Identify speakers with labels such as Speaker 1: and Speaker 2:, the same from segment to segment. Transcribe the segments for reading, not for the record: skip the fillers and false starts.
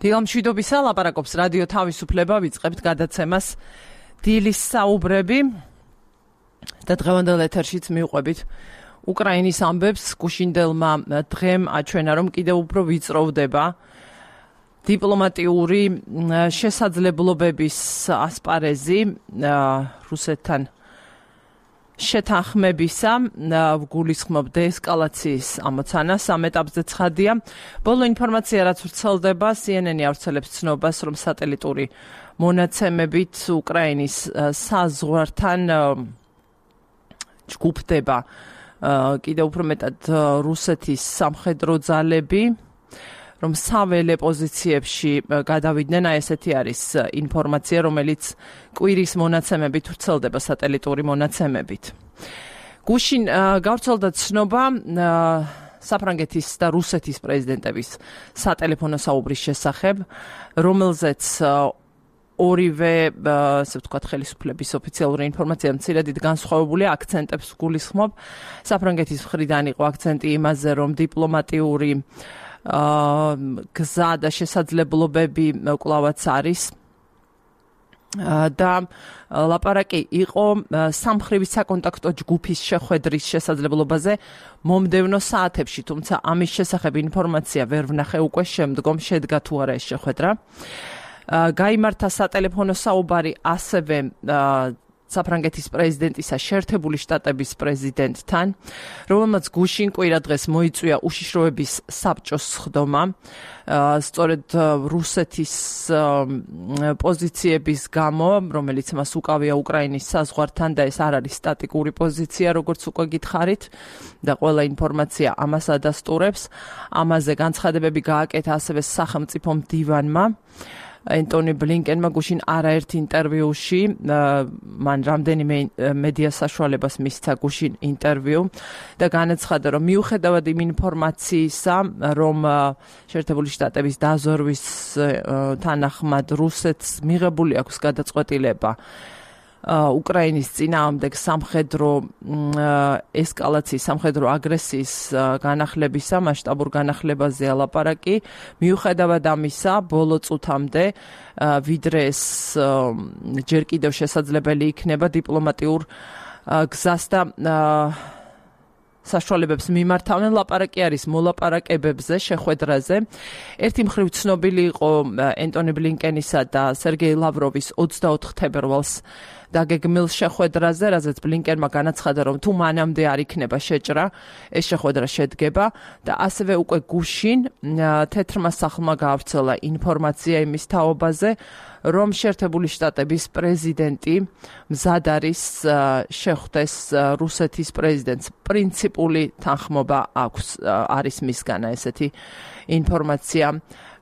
Speaker 1: დილამშვიდობისა, ლაპარაკობს რადიო თავისუფლება, ვიწყებთ გადაცემას დილის საუბრები და დღევანდელ ეთერშიც მივყვებით უკრაინის ამბებს. გუშინდელმა დღემ აჩვენა, რომ კიდევ უფრო ვიწროვდება დიპლომატიური შესაძლებლობების ასპარეზი რუსეთთან შეთანხმებისა, გულისხმობ დეესკალაციის ამოცანას. ამ ეტაპზე ცხადია, ბოლო ინფორმაცია, რაც ვრცელდება, CNN-ი ავრცელებს ცნობას, რომ სატელიტური მონაცემებით უკრაინის საზღვართან ჯგუფდება კიდევ უფრო მეტად რუსეთის სამხედრო ძალები, რომ საველე პოზიციებში გადავიდნენ. ესეთი არის ინფორმაცია, რომელიც კვირის მონაცემებით ვრცელდება სატელიტური მონაცემებით. გუშინ გავრცელდა ცნობა საფრანგეთის და რუსეთის პრეზიდენტების სატელეფონო საუბრის შესახებ, რომელზეც ორივე, ასე ვთქვათ, ხელისუფლების ოფიციალური ინფორმაცია მცირედით განსხვავებული აქცენტებს გულისხმობ. საფრანგეთის მხრიდან იყო აქცენტი იმაზე, რომ დიპლომატიური გზა და შესაძლებლობები კვლავაც არის და ლაპარაკი იყო სამხრივი საკონტაქტო ჯგუფის შეხვედრის შესაძლებლობაზე მომდევნო საათებში, თუმცა ამის შესახებ ინფორმაცია ვერ ვნახე, უკვე შემდგომ შედგა თუ არა ეს შეხვედრა. გაიმართა სატელეფონო საუბარი ასევე საფრანგეთის პრეზიდენტისა შეერთებული შტატების პრეზიდენტთან, რომელმაც გუშინ კვირადღეს მოიწვია უშიშროების საბჭოს სხდომა. სწორედ რუსეთის პოზიციების გამო, რომელიც მას უკავია უკრაინის საზღვართან და ეს არ არის სტატიკური პოზიცია, როგორც უკვე გითხარით და ყველა ინფორმაცია ამას ადასტურებს. ამაზე განცხადებები გააკეთა ასევე სახელმწიფო მდივანმა. ენტონი ბლინკენმა გუშინ არაერთ ინტერვიუში, მან რამდენიმე მედია საშუალებას მისცა გუშინ ინტერვიუ და განაცხადა, რომ მიუხედავად იმ ინფორმაციისა, რომ შეერთებული შტატების დაზორვის თანახმად რუსეთს მიღებული აქვს გადაწყვეტილება უკრაინის წინააღმდეგ სამხედრო ესკალაციის, სამხედრო აგრესიის განახლებისა, მასშტაბურ განახლებაზე ლაპარაკი. მიუხედავად ამისა, ბოლო წუთამდე, ვიდრე ეს ჯერ კიდევ შესაძლებელი იქნება დიპლომატიურ გზას და საშუალებებს მიმართავენ, ლაპარაკი არის მოლაპარაკებებზე, შეხვედრაზე. ერთი მხრივ ცნობილი იყო ენტონი ბლინკენისა და სერგეი ლავროვის 24 თებერვალს დაგეგმილ შეხვედრაზე, რაზეც ბლინკენმა განაცხადა, რომ თუ მანამდე არ იქნება შეჭრა, ეს შეხვედრა შედგება და ასევე უკვე გუშინ თეთრმა სახლმა გაავრცელა ინფორმაცია იმის თაობაზე, რომ შეერთებული შტატების პრეზიდენტი მზად არის შეხვდეს რუსეთის პრეზიდენტს. პრინციპული თანხმობა აქვს, არის მისგან ესეთი ინფორმაცია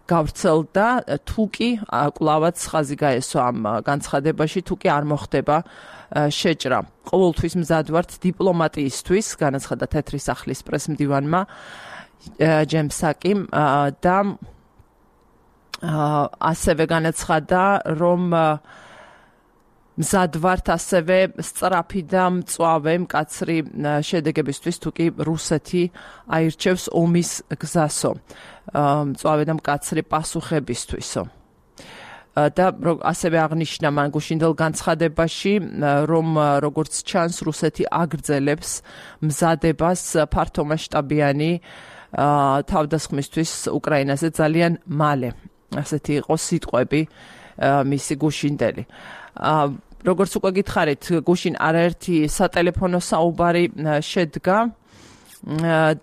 Speaker 1: გავრცელდა, თუ კი კვლავაც ხაზი გაესვა ამ განცხადებაში, თუ კი არ მოხდება შეჭრა. ყოველთვის მზად ვართ დიპლომატიისთვის, განაცხადა თეთრი სახლის პრესმდივანმა ჯემს საკიმ და ასევე განაცხადა, რომ მზად ვართ ასევე სწრაფი და მწვავე მკაცრი შედეგებისთვის, თუ კი რუსეთი აირჩევს ომის გზასო, მწვავე და მკაცრი პასუხებისთვისო. და ასევე აღნიშნა მან გუშინდელ განცხადებაში, რომ როგორც ჩანს, რუსეთი აგრძელებს მზადებას ფართომასშტაბიანი თავდასხმისთვის უკრაინაზე ძალიან მალე. ასეთი იყო სიტყვები მისი გუშინდელი. როგორც უკვე გითხარით, გუშინ არაერთი სატელეფონო საუბარი შედგა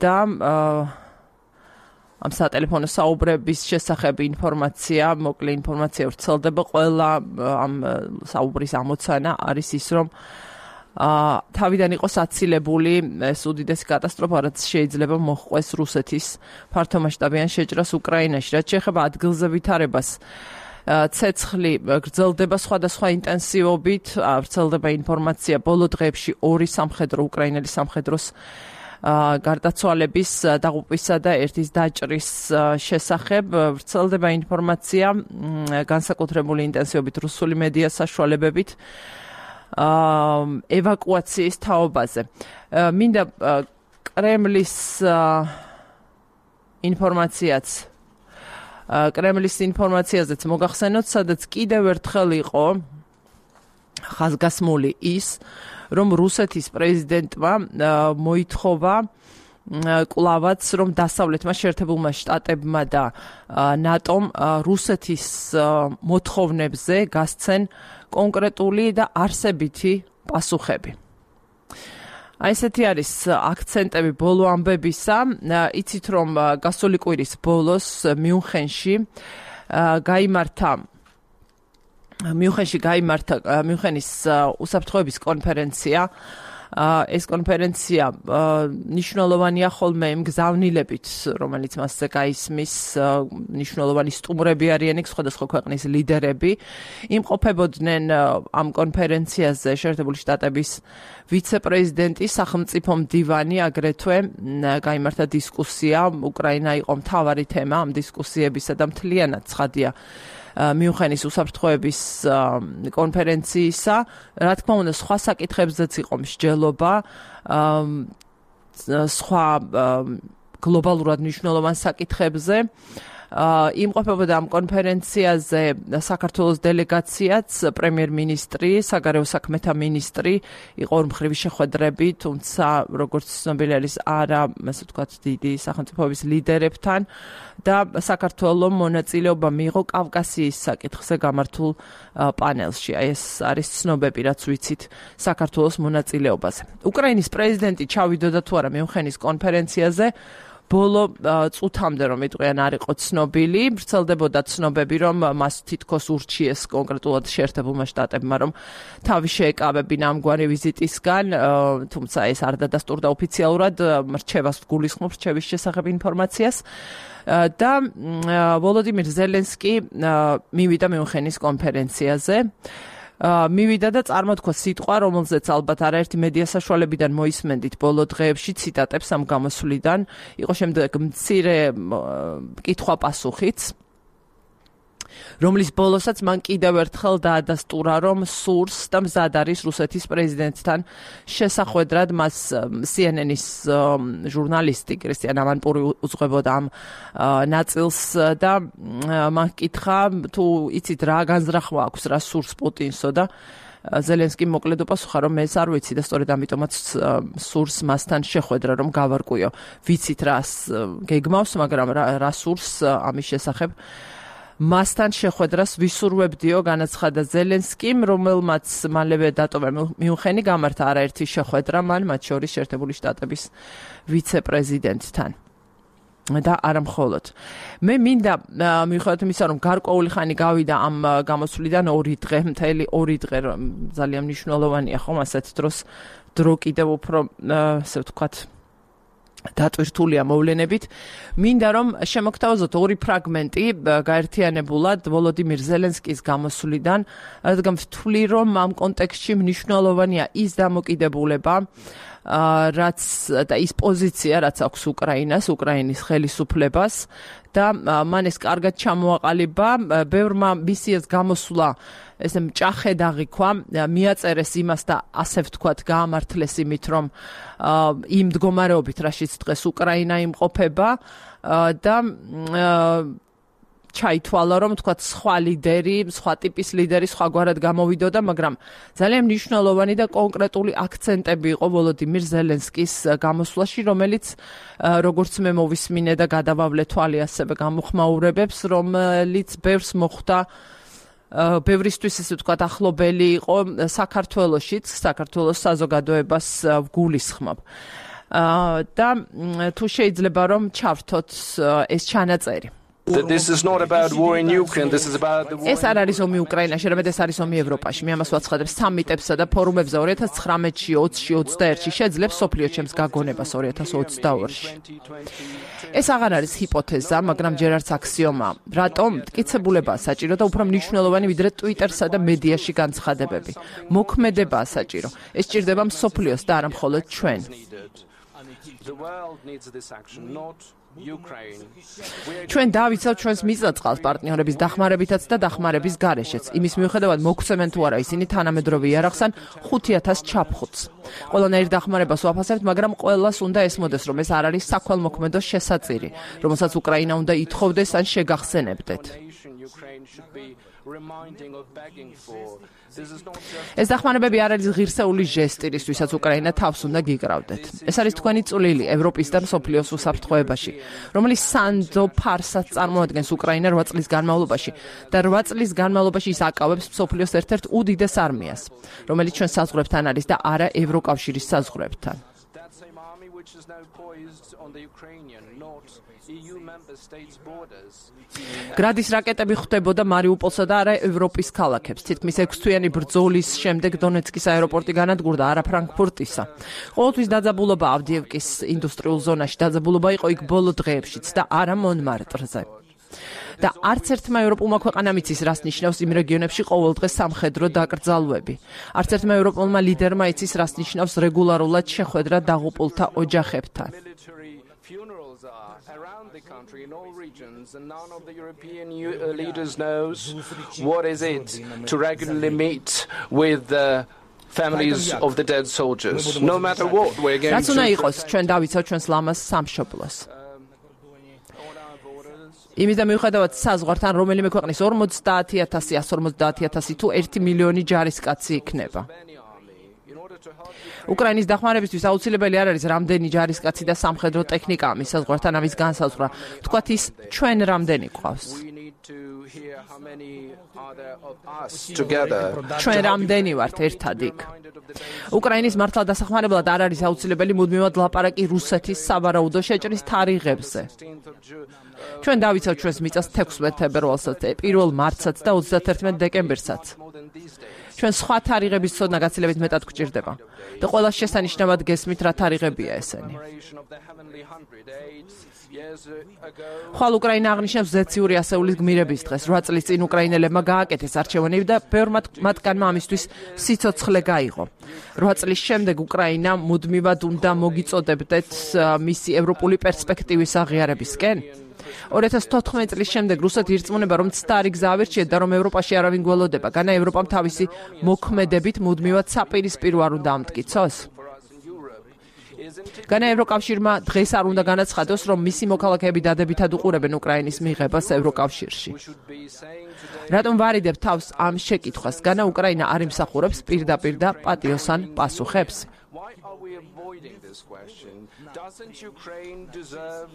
Speaker 1: და ამ სატელეფონო საუბრების შესახებ ინფორმაცია, მოკლე ინფორმაცია ვრცელდება. ყველა ამ საუბრის ამოცანა არის ის, რომ თავიდან იყოს აცილებული ეს უდიდესი კატასტროფა, რაც შეიძლება მოჰყვეს რუსეთის ფართომასშტაბიან შეჭრას უკრაინაში. რაც შეეხება ადგილზე ვითარებას, ცეცხლი გრძელდება სხვადასხვა ინტენსივობით, ვრცელდება ინფორმაცია ბოლო დღეებში ორი სამხედრო უკრაინელი სამხედროს გარდაცვალების დაღუპვისა და ერთის დაჭრის შესახებ. ვრცელდება ინფორმაცია განსაკუთრებული ინტენსივობით რუსული მედია საშუალებებით ევაკუაციის თაობაზე. მინდა კრემლის ინფორმაციაც კრემლის ინფორმაციაზეც მოგახსენოთ, სადაც კიდევ ერთხელ იყო ხაზგასმული ის, რომ რუსეთის პრეზიდენტმა მოითხოვა კლავაც, რომ დასავლეთმა შეერთებულმა შტატებმა და ნატომ რუსეთის მოთხოვნებზე გასცენ კონკრეტული და არსებითი პასუხები. აი ესეთი არის აქცენტები ბოლო ამბებისა. იცით რომ გასული კვირის ბოლოს მიუნხენში გაიმართა მიუნხენის უსაფრთხოების კონფერენცია. ეს კონფერენცია ნიშნულოვანია ხოლმე იმ გზავნილებით, რომელიც მასზე გაისმის, ნიშნულოვანი სტუმრები არიან იქ სხვადასხვა ქვეყნის ლიდერები. იმყოფებოდნენ ამ კონფერენციაზე შეერთებული შტატების ვიცე-პრეზიდენტი, სახელმწიფო მდივანი, აგრეთვე გაიმართა დისკუსია. უკრაინა იყო მთავარი თემა ამ დისკუსიებისა და მთლიანად ცხადია მიუნხენის უსაფრთხოების კონფერენციისა. რა თქმა უნდა, სხვა საკითხებზეც იყო მსჯელობა, სხვა გლობალურად მნიშვნელოვან საკითხებზე. იმყოფებოდა ამ კონფერენციაზე საქართველოს დელეგაციაც, პრემიერ-მინისტრი, საგარეო საქმეთა მინისტრი, იყო ორმხრივი შეხვედრები, თუმცა როგორც ცნობილი არის, არა, ასე ვთქვათ, დიდი სახელმწიფოების ლიდერებთან და საქართველოს მონაწილეობა მიიღო კავკასიის საკითხზე გამართულ პანელში. აი ეს არის ცნობები, რაც ვიცით საქართველოს მონაწილეობაზე. უკრაინის პრეზიდენტი ჩავიდოდა თუ არა მიუნხენის კონფერენციაზე, ბოლო წუთამდე რომ იტყვიან არ იყო ცნობილი, ვრცელდებოდა ცნობები, რომ მას თითქოს ურჩიეს კონკრეტულად შეერთებულმა შტატებმა, რომ თავი შეეკავებინა ამგვარი ვიზიტისგან, თუმცა ეს არ დადასტურდა ოფიციალურად, რჩევას გულისხმობს რჩევის შესახებ ინფორმაციას. და ვოლოდიმირ ზელენსკი მივიდა მიუნხენის კონფერენციაზე. მივიდა და წარმოთქვა სიტყვა, რომელზეც ალბათ არაერთი მედია საშუალებიდან მოისმენდით ბოლო დღეებში ციტატებს ამ გამოსვლიდან. იყო შემდეგ მცირე კითხვა-პასუხიც, რომლის ბოლოსაც მან კიდევ ერთხელ დაადასტურა, რომ სურს და მზად არის რუსეთის პრეზიდენტთან შესახვედრად. მას CNN-ის ჟურნალისტი კრისტიან ამანპური უძღვებოდა ამ ნაწილს და მან კითხა, თუ იცით რა განზრახვა აქვს, რა სურს პუტინსო და ზელენსკი მოკლედ უპასუხა, რომ მე ეს არ ვიცი და სწორედ ამიტომაც სურს მასთან შეხვედრა, რომ გავარკვიო. ვიცით რას გეგმავს, მაგრამ რა სურს ამის შესახებ მასთან შეხვედრას ვისურვებდიო, განაცხადა ზელენსკიმ, რომელმაც მალევე დატოვა მიუნხენი, გამართა არაერთი შეხვედრა მან, მათ შორის შეერთებული შტატების ვიცე-პრეზიდენტთან. და არა მხოლოდ. მე მინდა მიუხედავად იმისა, რომ გარკვეული ხანი გავიდა ამ გამოსვლიდან 2 დღე, მთელი 2 დღე, ძალიან მნიშვნელოვანია ხომ ასეთ დროს დრო კიდევ უფრო, ასე ვთქვათ, დატვირთულია მოვლენებით. მინდა რომ შემოგთავაზოთ 2 ფრაგმენტი გაერთიანებულად ვოლოდიმირ ზელენსკის გამოსვლიდან, რადგან ვთვლი, რომ ამ კონტექსტში მნიშვნელოვანია ის დამოკიდებულება, რაც და ის პოზიცია, რაც აქვს უკრაინას, უკრაინის ხელისუფლებას და მან ეს კარგად ჩამოაყალიბა. ბევრმა მისი ეს გამოსვლა ესე მჭახედ აღიქვა, მიაწერეს იმას და ასე ვთქვათ, გაამართლეს იმით, რომ იმ მდგომარეობით, რაშიც დღეს უკრაინა იმყოფება და ჩაითვალა, რომ თქვათ სხვა ლიდერი, სხვა ტიპის ლიდერი სხვაგვარად გამოვიდოდა, მაგრამ ძალიან მნიშვნელოვანი და კონკრეტული აქცენტები იყო ვოლოდიმირ ზელენსკის გამოსვლაში, რომელიც როგორც მე მოვისმინე და გადავავლე თვალი ასევე გამოხმაურებებს, რომელიც ბევრს მოხვდა ბევრისთვის ისე ვთქვათ ახლობელი იყო საქართველოშიც, საქართველოს საზოგადოებას ვგულისხმობ. და თუ შეიძლება რომ ჩავრთოთ ეს ჩანაწერი.
Speaker 2: This is not about war in Ukraine, this is about the war.
Speaker 1: ეს არ არის ომი უკრაინაში, არამედ ეს არის ომი ევროპაში. მე ამას ვაცხადებ სამიტებსა და ფორუმებზე 2019-ში, 20-ში, 21-ში შეძლებს სოფლიო ჩემს გაგონებას 2022-ში. ეს აღარ არის ჰიპოთეზა, მაგრამ ჯერ არც აქსიომა. რატომ? მტკიცებულებაა საჭირო და უფრო მნიშვნელოვანი ვიდრე Twitter-სა და მედიაში განცხადებები. მოქმედებაა საჭირო. ეს სჭირდება მსოფლიოს და არა მხოლოდ ჩვენ.
Speaker 2: The world needs this action, not
Speaker 1: ჩვენ დავიცავთ ჩვენს მიწა-წყალს პარტნიორების დახმარებითაც და დახმარების გარეშეც. იმის მიუხედავად მოგცემენ თუ არა ისინი თანამედროვე იარაღს ან 5,000 ჩაფხუტს. ყველანაირ დახმარებას ვაფასებთ, მაგრამ ყველას უნდა ესმოდეს, რომ ეს არ არის საქველმოქმედო შესაწირი, რომელსაც უკრაინა უნდა ითხოვდეს ან შეგახსენებდეთ. ეს დახმარებები არ არის ღირსეული ჟესტი, რისთვისაც უკრაინა თავს უნდა გიკრავდეთ. ეს არის თქვენი წვლილი ევროპის და მსოფლიოს უსაფრთხოებაში, რომელიც სანდო ფარსად წარმოადგენს უკრაინა 8 წლის განმავლობაში და 8 წლის განმავლობაში ის აკავებს მსოფლიოს ერთ-ერთ უდიდეს არმიას, რომელიც ჩვენ საზღვრებთან არის და არა ევროკავშირის საზღვრებთან. გრადის რაკეტები ხვდებოდა მარიუპოლსა და არა ევროპის ქალაქებს. თითქმის 6 თვიანი ბრძოლის შემდეგ დონეცკის აეროპორტი განადგურდა, არა ფრანკფურტისა. ყოველთვის დაძაბულობა ავდიევკის ინდუსტრიულ ზონაში, დაძაბულობა იყო იქ ბოლო დღეებშიც და არა მონმარტრზე. და არც ერთმა ევროპულმა ქვეყანამ იცის, რას ნიშნავს იმ რეგიონებში ყოველდღე სამხედრო დაკრძალვები. არც ერთმა ევროპულმა ლიდერმა იცის, რას ნიშნავს რეგულარულად შეხვედრა დაღუპულთა ოჯახებთან.
Speaker 2: Around the country in all regions, and none of the European leaders knows what is it to regularly meet with the families of the dead soldiers. No matter what we're going to.
Speaker 1: რაც უნდა იყოს, ჩვენ დავიცავთ ჩვენს ლამაზ სამშობლოს. იმის და მიუხედავად საზღვართან რომელიმე ქვეყნის 50,000, 150,000 თუ 1 მილიონი ჯარისკაცი იქნება. უკრაინის დახმარებისთვის აუცილებელი არ არის რამდენი ჯარისკაცი და სამხედრო ტექნიკა მის საზღვართან ამის განსაზღვრა. თქვათ ის ჩვენ რამდენი გვყავს. ჩვენ რამდენი ვართ ერთად იქ. უკრაინის მართლა დასახმარებლად არ არის აუცილებელი მუდმივად ლაპარაკი რუსეთის სავარაუდო შეჭრის თარიღებზე. ჩვენ დავიცავთ ჩვენს მიწას 16 თებერვალსაც, 1 მარტსაც და 31 დეკემბერსაც. ჩვენ სხვა თარიღების ცოდნა გაცილებით მეტად გვჭირდება და ყველა შესანიშნავად გესმით რა თარიღებია ესენი. ხვალ უკრაინა აღნიშნავს ზეციური ასეულის გმირების დღეს. 8 წლის წინ უკრაინელებმა გააკეთეს არჩევანები და ბევრ მათგანმა ამისთვის სიცოცხლე გაიღო. 8 წლის შემდეგ უკრაინა მუდმივად უნდა მოგიწოდებდეთ მისი ევროპული პერსპექტივის აღიარებისკენ. 2014 წლის შემდეგ რუსეთი ირწმუნება, რომ ცდარი გზა ავირჩიეთ და რომ ევროპაში არავინ გველოდება. განა ევროპამ თავისი მოქმედებით მუდმივად საპირისპირო არ უნდა ამტკიცოს. განა ევროკავშირმა დღეს არ უნდა განაცხადოს, რომ მისი მოქალაქეები დადებითად უყურებენ უკრაინის მიღებას ევროკავშირში. რატომ ვარიდებ თავს ამ შეკითხვას? განა უკრაინა არ იმსახურებს პირდაპირ და პატიოსან პასუხებს?
Speaker 2: Doesn't Ukraine deserve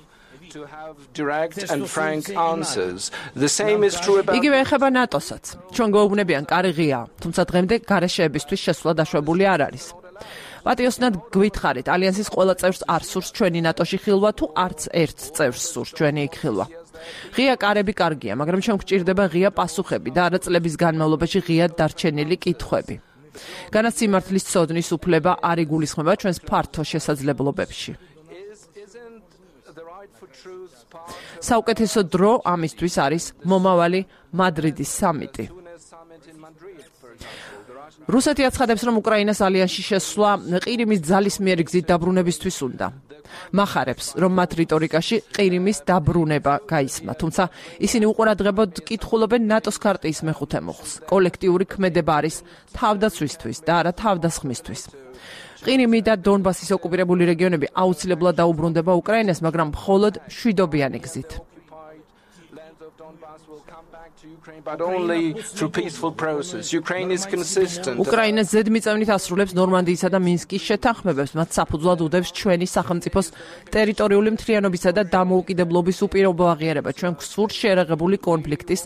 Speaker 2: to have direct and frank answers? The same is true about.
Speaker 1: იგივე ეხება ნატოსაც. ჩვენ გვეუბნებიან კარი ღია, თუმცა დღემდე გარეშეებისთვის შესვლა დაშვებული არ არის. პატიოსნად გვითხრით, ალიანსის ყველა წევრს არ სურს ჩვენი ნატოში ხილვა თუ არც ერთ წევრს სურს ჩვენი იქ ხილვა. ღია კარები კარგია, მაგრამ ჩვენ გვჭირდება ღია პასუხები და არა წლების განმავლობაში ღიად დარჩენილი კითხვები. განაც სიმართლის ცოდნის უფლება არ იგულისხმება ჩვენს ფართო შესაძლებლობებში. საუკეთესო დრო ამისთვის არის მომავალი მადრიდის სამიტი. რუსეთი აცხადებს, რომ უკრაინას ალიანსში შესვლა ყირიმის ძალისმიერი გზით დაბრუნებისთვის უნდა. მახარებს, რომ მათ რიტორიკაში ყირიმის დაბრუნება გაისმა, თუმცა ისინი უყურადღებოდ კითხულობენ ნატოს ქარტიის მეხუთე მუხლს. კოლექტიური ქმედება არის თავდაცვისთვის და არა თავდასხმისთვის. ყირიმი და დონბასის ოკუპირებული რეგიონები აუცილებლად დაუბრუნდება უკრაინას, მაგრამ მხოლოდ მშვიდობიანი გზით.
Speaker 2: But only through peaceful process. Ukraine is consistent.
Speaker 1: უკრაინა ზედმიწევნით ასრულებს ნორმანდიისა და მინსკის შეთანხმებებს, მათ საფუძვლად უდევს ჩვენი სახელმწიფოს ტერიტორიული მთლიანობისა და დამოუკიდებლობის უპირობო აღიარება, ჩვენ გვსურს შეიარაღებული კონფლიქტის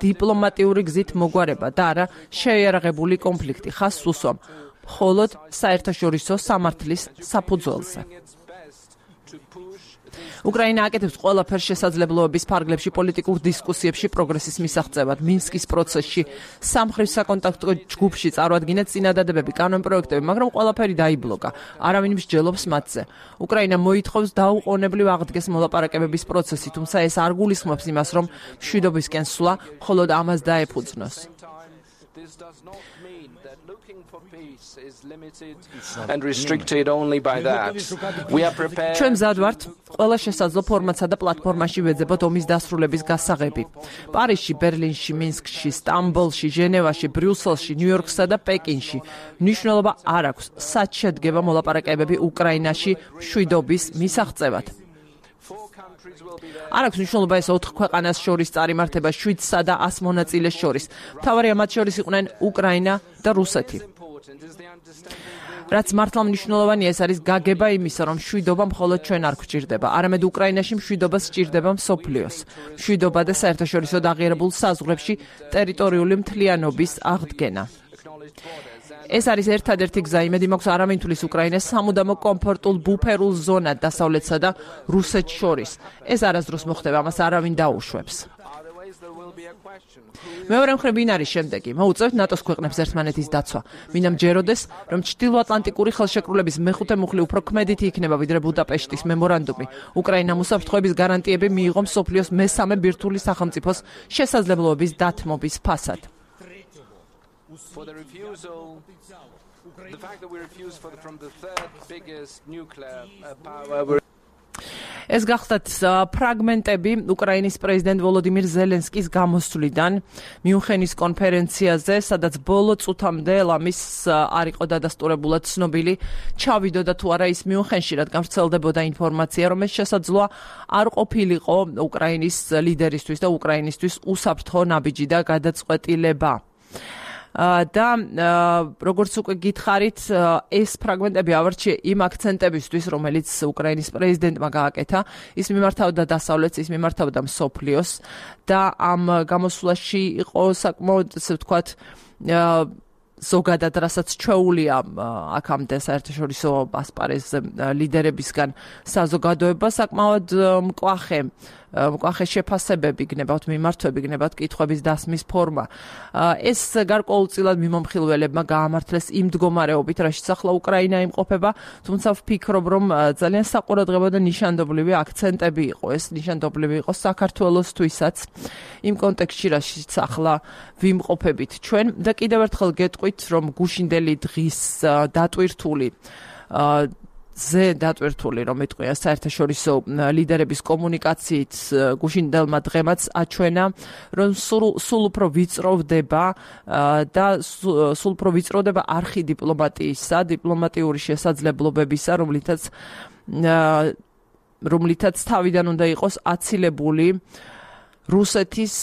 Speaker 1: დიპლომატიური გზით მოგვარება და არა შეიარაღებული კონფლიქტი ხაზს უსვამ მხოლოდ საერთაშორისო სამართლის საფუძველზე. უკრაინა აკეთებს ყველაფერს შესაძლებლობების ფარგლებში პოლიტიკურ დისკუსიებში პროგრესის მისაღწევად. მინსკის პროცესში სამხრეთ საკონტაქტო ჯგუფში წარუადგინეთ წინადადებები, კანონპროექტები, მაგრამ ყველაფერი დაიბლოკა. არავინ მსჯელობს მათზე. უკრაინა მოითხოვს დაუყოვნებლივ აღდგეს მოლაპარაკებების პროცესი, თუმცა ეს არ გულისხმობს იმას, რომ მშვიდობისკენ სვლა მხოლოდ ამას დაეფუძნოს.
Speaker 2: This does not mean that looking for peace is limited and restricted only by that. We are prepared.
Speaker 1: ჩვენ მზად ვართ ყველა შესაძლო ფორმატსა და პლატფორმაში ვეძებოთ ომის დასრულების გასაღები. პარიზში, ბერლინში, მინსკში, სტამბოლში, ჟენევაში, ბრიუსელში, ნიუ-იორკსა და პეკინში მნიშვნელობა არ აქვს. სად შედგება მოლაპარაკებები უკრაინაში მშვიდობის მისაღწევად. არ აქვს მნიშვნელობა ეს 4 ქვეყანას შორის წარიმართება 7-სა და 100 მონაწილეს შორის. მთავარი მათ შორის იყვნენ უკრაინა და რუსეთი. რაც მართლა მნიშვნელოვანია ეს არის გაგება იმისა, რომ მშვიდობა მხოლოდ ჩვენ არ გვჭირდება, არამედ უკრაინაში მშვიდობა სჭირდება მსოფლიოს. მშვიდობა და საერთაშორისო აღიარებულ საზღვრებში ტერიტორიული მთლიანობის აღდგენა. ეს არის ერთადერთი გზა იმედი მაქვს არ ამინთulis უკრაინას სამუდამო კომფორტულ ბუფერულ ზონად დასავლეთსა და რუსეთს შორის. ეს არასდროს მოხდება, ამას არავინ დაუშვებს. მეორე მხრივ ვინ არის შემდეგი? მოუწევთ ნატოს ქვეყნებს ერთმანეთის დაცვა. მინდა მჯეროდეს, რომ ჩრდილოატლანტიკური ხელშეკრულების მეხუთე მუხლი უფრო ქმედითი იქნება ვიდრე ბუდაპეშტის მემორანდუმი. უკრაინამ უსაფრთხოების გარანტიები მიიღო მსოფლიოს მესამე ბირთვული სახელმწიფოს შესაძლებლობების დათმობის ფასად.
Speaker 2: For the fact that we refuse from the third biggest nuclear power.
Speaker 1: ეს გახდათ ფრაგმენტები უკრაინის პრეზიდენტ ვოლოდიმირ ზელენსკის გამოსვლიდან მიუნხენის კონფერენციაზე, სადაც ბოლო წუთამდე ლამის არ იყო დადასტურებულად ცნობილი ჩავიდოდა თუ არა ის მიუნხენში, რადგან ვრცელდებოდა ინფორმაცია, რომ ეს შესაძლოა არ ყოფილიყო უკრაინის ლიდერისთვის და უკრაინისთვის უსაფრთხო ნაბიჯი და გადაწყვეტილება. და როგორც უკვე გითხარით, ეს ფრაგმენტები ავარჩიე იმ აქცენტებისთვის, რომელიც უკრაინის პრეზიდენტმა გააკეთა, ის მიმართავდა დასავლეთს, ის მიმართავდა მსოფლიოს და ამ გამოსვლაში იყო საკმაოდ, ასე ვთქვათ, ზოგადად რასაც ჩვეულია აქამდე საერთაშორისო ასპარეზზე ლიდერებისგან საზოგადოება საკმაოდ მკვახე შეფასებები გნებავთ, მიმართვები გნებავთ, კითხვების დასმის ფორმა. ეს გარკვეულწილად მიმომხილველებმა გაამართლეს იმ მდგომარეობით, რაშიც ახლა უკრაინა იმყოფება, თუმცა ვფიქრობ, რომ ძალიან საყურადღებო და ნიშანდობლივი აქცენტები იყო. ეს ნიშანდობლივი იყო საქართველოსთვისაც იმ კონტექსტში, რაშიც ახლა ვიმყოფებით ჩვენ და კიდევ ერთხელ გეტყვით, რომ გუშინდელი დღის დატვირთული რომ ეტყვია საერთაშორისო ლიდერების კომუნიკაციით გუშინდელმა დღემაც აჩვენა, რომ სულ უფრო ვიწროვდება არხი დიპლომატიისა, დიპლომატიური შესაძლებლობებისა, რომლითაც თავიდან უნდა იყოს აცილებული რუსეთის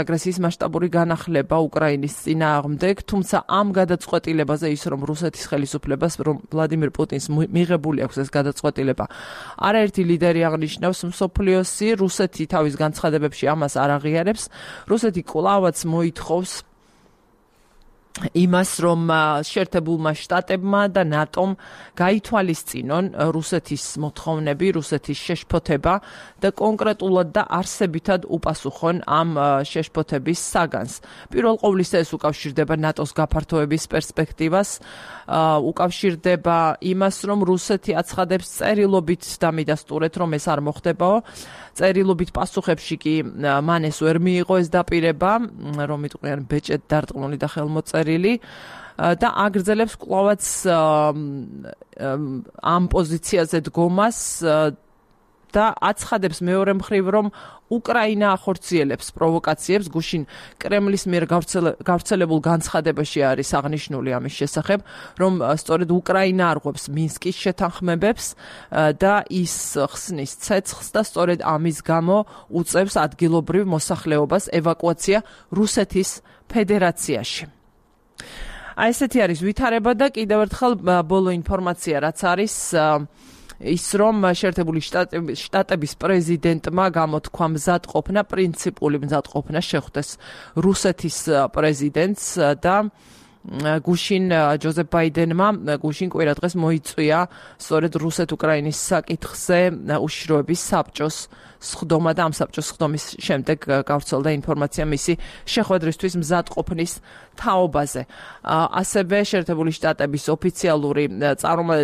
Speaker 1: აგრესიის მასშტაბური განახლება უკრაინის წინააღმდეგ, თუმცა ამ გადაწყვეტილებაზე ის რომ რუსეთის ხელისუფლებას, რომ ვლადიმირ პუტინს მიღებული აქვს ეს გადაწყვეტილება, არაერთი ლიდერი აღნიშნავს მსოფლიოსი, რუსეთი თავის განცხადებებში ამას არ აღიარებს, რუსეთი კვლავაც მოითხოვს იმას, რომ შეერთებულმა შტატებმა და ნატომ გაითვალისწინონ რუსეთის მოთხოვნები, რუსეთის შეშფოთება და კონკრეტულად და არსებითად უპასუხონ ამ შეშფოთების საგანს. პირველ ყოვლისა ეს უკავშირდება ნატოს გაფართოების პერსპექტივას, უკავშირდება იმას, რომ რუსეთი აცხადებს წერილობით დამიდასტურეთ, რომ ეს არ მოხდებაო. წერილობით პასუხებში კი მან ეს ვერ მიიღო ეს დაპირება, რომ იტყვიან ბეჭედ დარწმუნებული და ხელმოწერილი და აგრძელებს კვლავაც ამ პოზიციაზე დგომას და აცხადებს მეორე მხრივ, რომ უკრაინა ახორციელებს პროვოკაციებს, გუშინ კრემლის მიერ გავრცელებულ განცხადებაში არის აღნიშნული ამის შესახებ, რომ სწორედ უკრაინა არღვევს მინსკის შეთანხმებებს და ის ხსნის ცეცხლს და სწორედ ამის გამო უწევს ადგილობრივ მოსახლეობას ევაკუაცია რუსეთის ფედერაციაში. ესეთი არის ვითარება და კიდევ ერთხელ ბოლო ინფორმაცია, რაც არის ის რომ შეერთებული შტატების პრეზიდენტმა გამოთქვა მზადყოფნა, პრინციპული მზადყოფნა შეხვდეს რუსეთის პრეზიდენტს და გუშინ ჯოზეფ ბაიდენმა გუშინ კვირა დღეს მოიწვია სწორედ რუსეთ-უკრაინის საკითხზე უშიშროების საბჭოს სხდომა და ამ საბჭოს სხდომის შემდეგ გავრცელდა ინფორმაცია მისი შეხვედრისთვის მზადყოფნის თაობაზე. ასევე შეერთებული შტატების ოფიციალური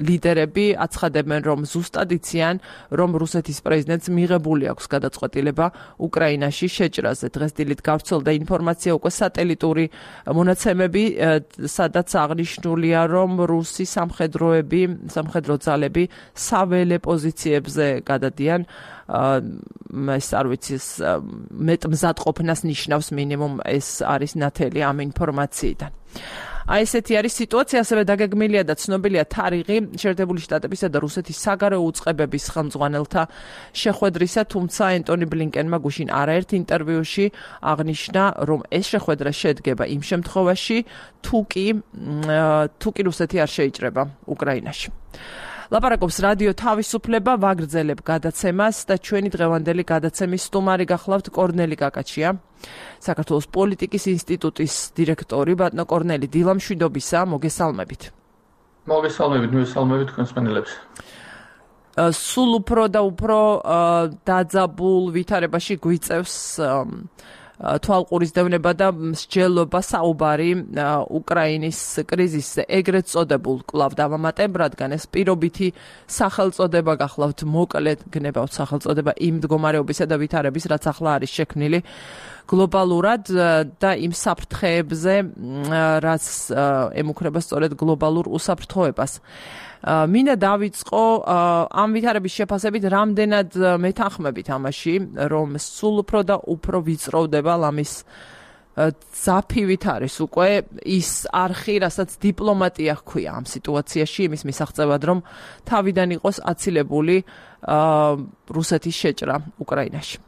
Speaker 1: ლიდერები აცხადებენ, რომ ზუსტად იციან, რომ რუსეთის პრეზიდენტს მიღებული აქვს გადაწყვეტილება უკრაინაში შეჭრაზე. დღეს დილით გავრცელდა ინფორმაცია უკვე სატელიტური მონაცემები, სადაც აღნიშნულია, რომ რუსი სამხედრო ძალები საველე პოზიციებზე გადადიან. ეს არ ვიცი, მეტ მზადყოფნას ნიშნავს მინიმუმ ეს არის ნათელი ამ ინფორმაციიდან. აი ესეთი არის სიტუაცია, ასევე დაგეგმილია და ცნობილია თარიღი შეერთებული შტატებისა და რუსეთის საგარეო უწყებების ხელმძღვანელთა შეხვედრისა, თუმცა ენტონი ბლინკენმა გუშინ არაერთ ინტერვიუში აღნიშნა, რომ ეს შეხვედრა შედგება იმ შემთხვევაში, თუ კი რუსეთი არ შეიჭრება უკრაინაში. ლაპარაკობს რადიო თავისუფლება, ვაგრძელებ გადაცემას და ჩვენი დღევანდელი გადაცემის სტუმარი გახლავთ კორნელი კაკაჩია, საქართველოს პოლიტიკის ინსტიტუტის დირექტორი. ბატონო კორნელი, დილამშვიდობისა, მოგესალმებით.
Speaker 3: მოგესალმებით თქვენს მსმენელებს.
Speaker 1: სულ უფრო და უფრო დაძაბულ ვითარებაში გვიწევს თვალყურის დევნება და მსჯელობა საუბარი უკრაინის კრიზისზე, ეგრეთ წოდებულ კვლავ დავამატებ, რადგან ეს პირობითი სახელწოდება გახლავთ, მოკლედ გნებავთ სახელწოდება იმ მდგომარეობისა და ვითარების, რაც ახლა არის შექმნილი გლობალურად და იმ საფრთხეებზე, რაც ემუქრება სწორედ გლობალურ უსაფრთხოებას. მინდა დავიწყო ამ ვითარების შეფასებით, რამდენად მეთანხმებით ამაში, რომ სულ უფრო და უფრო ვიწროვდება ლამის ძაფივით არის უკვე ის არხი, რასაც დიპლომატია ჰქვია ამ სიტუაციაში, იმის მისაღწევად, რომ თავიდან იყოს აცილებული რუსეთის შეჭრა უკრაინაში.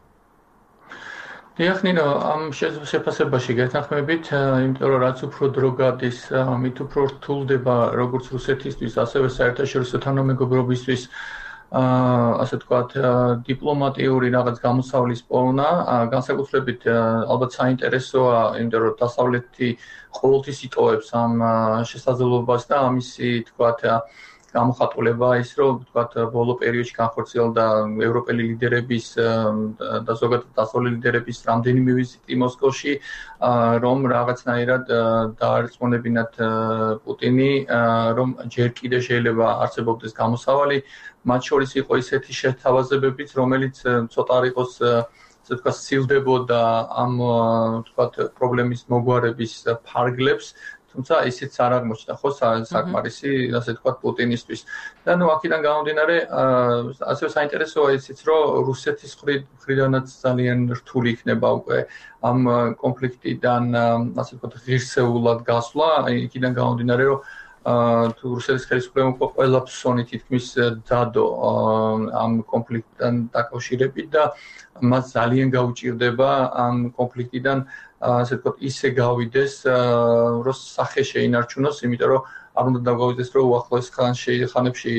Speaker 3: Ნინო, ამ შეფასებაში გეთანხმებით, იმიტომ რომ რაც უფრო დრო გადის, მით უფრო რთულდება როგორც რუსეთისთვის, ასევე საერთაშორისო თანამეგობრობისთვის, ასე ვთქვათ, დიპლომატიური რაღაც გამოსავლის პოვნა, განსაკუთრებით ალბათ საინტერესოა, იმიტომ რომ დასავლეთი ყოველთვის იტოვებს ამ შესაძლებლობას და ამისი, თქვათ, გამოხატულება ის, რომ ვთქვათ, ბოლო პერიოდში განხორციელდა ევროპელი ლიდერების და ზოგადად დასავლელი ლიდერების რამდენიმე ვიზიტი მოსკოვში, რომ რაღაცნაირად დაარწმუნებინათ პუტინი, რომ ჯერ კიდე შეიძლება არსებობდეს გამოსავალი, მათ შორის იყო ისეთი შეთავაზებებიც, რომელიც ცოტა არ იყოს, ასე ვთქვათ, სცილდებოდა ამ, ვთქვათ, პრობლემის მოგვარების ფარგლებს, თუმცა ისიც არ აღმოჩნდა ხო საკმარისი, ასე ვთქვათ, პუტინისთვის. და აქედან გამომდინარე, ასევე საინტერესოა ისიც, რომ რუსეთის მხრიდანაც ძალიან რთული იქნება უკვე ამ კონფლიქტიდან, ასე ვთქვათ, ღირსეულად გასვლა, იქიდან გამომდინარე, რომ თუ რუსეთის ხელისუფლებამ უკვე ყველა ფსონი თითქმის დადო ამ კონფლიქტთან დაკავშირებით და მას ძალიან გაუჭირდება ამ კონფლიქტიდან ასე ვთქვათ, ისე გავიდეს, რომ სახე შეინარჩუნოს, იმიტომ რომ არ უნდა დაგვაუწყდეს, რომ უახლოეს ხანებში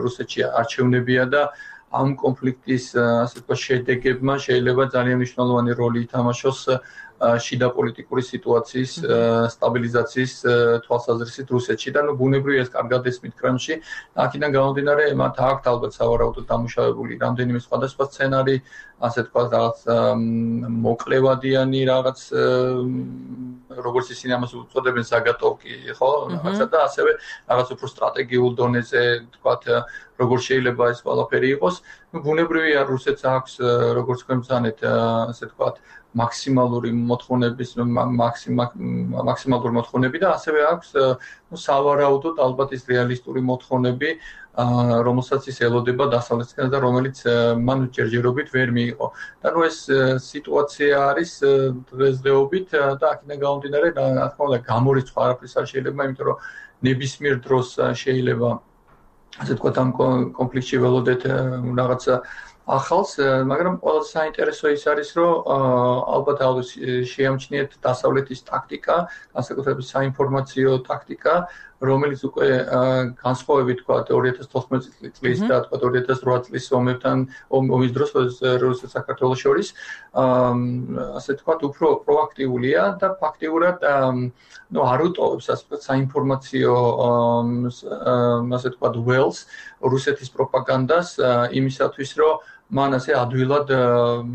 Speaker 3: რუსეთში არჩევნებია და ამ კონფლიქტის, ასე ვთქვათ, შედეგებმა შეიძლება ძალიან მნიშვნელოვანი როლი ითამაშოს შიდა პოლიტიკური სიტუაციის სტაბილიზაციის თვალსაზრისით რუსეთში და ბუნებრივია ეს კარგად ესმით კრემლში. აქედან გამომდინარე, მათ აქვთ ალბათ სავარაუდოდ დამუშავებული რამდენიმე სხვადასხვა სცენარი, ასე ვთქვათ, რაღაც მოკლევადიანი რაღაც როგორც ისინი ამას უწოდებენ ზაგატოვკი, ხო? რაღაცა და ასევე რაღაც უფრო სტრატეგიულ დონეზე, ვთქვათ, როგორ შეიძლება ეს ყველაფერი იყოს. ბუნებრივია რუსეთს აქვს, როგორც თქვენ ბრძანეთ, ასე ვთქვათ, მაქსიმალური მოთხოვნები და ასევე აქვს სავარაუდოდ ალბათ ის რეალისტური მოთხოვნები, რომელსაც ის ელოდება დასავლეთისგან და რომელიც მან ჯერჯერობით ვერ მიიღო. და ეს სიტუაცია არის დღესდღეობით და აქედან გამომდინარე, რა თქმა უნდა, გამორიცხვა არაფრის არ შეიძლება, იმიტომ რომ ნებისმიერ დროს შეიძლება, ასე ვთქვათ, ამ კონფლიქტში ველოდეთ რაღაცა ახალს, მაგრამ ყველაზე საინტერესო ის არის, რომ ალბათ შეამჩნიეთ დასავლეთის ტაქტიკა, განსაკუთრებით საინფორმაციო ტაქტიკა, რომელიც უკვე განსხვავებით თქვა 2014 წლის და თქვა 2008 წლის ომის დროს რუსეთს საქართველოს შორის, ასე თქვა, უფრო პროაქტიულია და ფაქტიურად არ უტოვებს ასე თქვა საინფორმაციო ასე თქვა ველს რუსეთის პროპაგანდას იმისათვის, რომ მან ასე ადვილად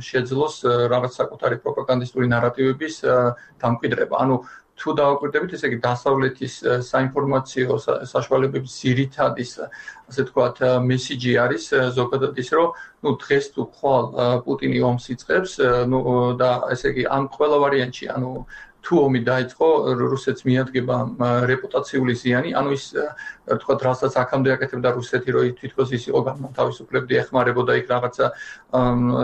Speaker 3: შეძლოს რაღაც საკუთარი პროპაგანდისტური ნარატივების დამკვიდრება. ანუ თუ დავაკვირდებით, ესე იგი დასავლეთის საინფორმაციო საშუალებების ძირითადის, ასე ვთქვათ, მესიჯი არის ზოგადად ის, რომ დღეს თუ ხვალ პუტინი ომს იწყებს, და ესე იგი ამ ყველა ვარიანტში, თუ ომი დაიწყო, რუსეთს მიადგება რეპუტაციული ზიანი, ის ვთქვათ, რასაც აქამდე აკეთებდა რუსეთი, რომ თვითონ ის იყო განმათავისუფლებდი, ეხმარებოდა იქ რაღაცა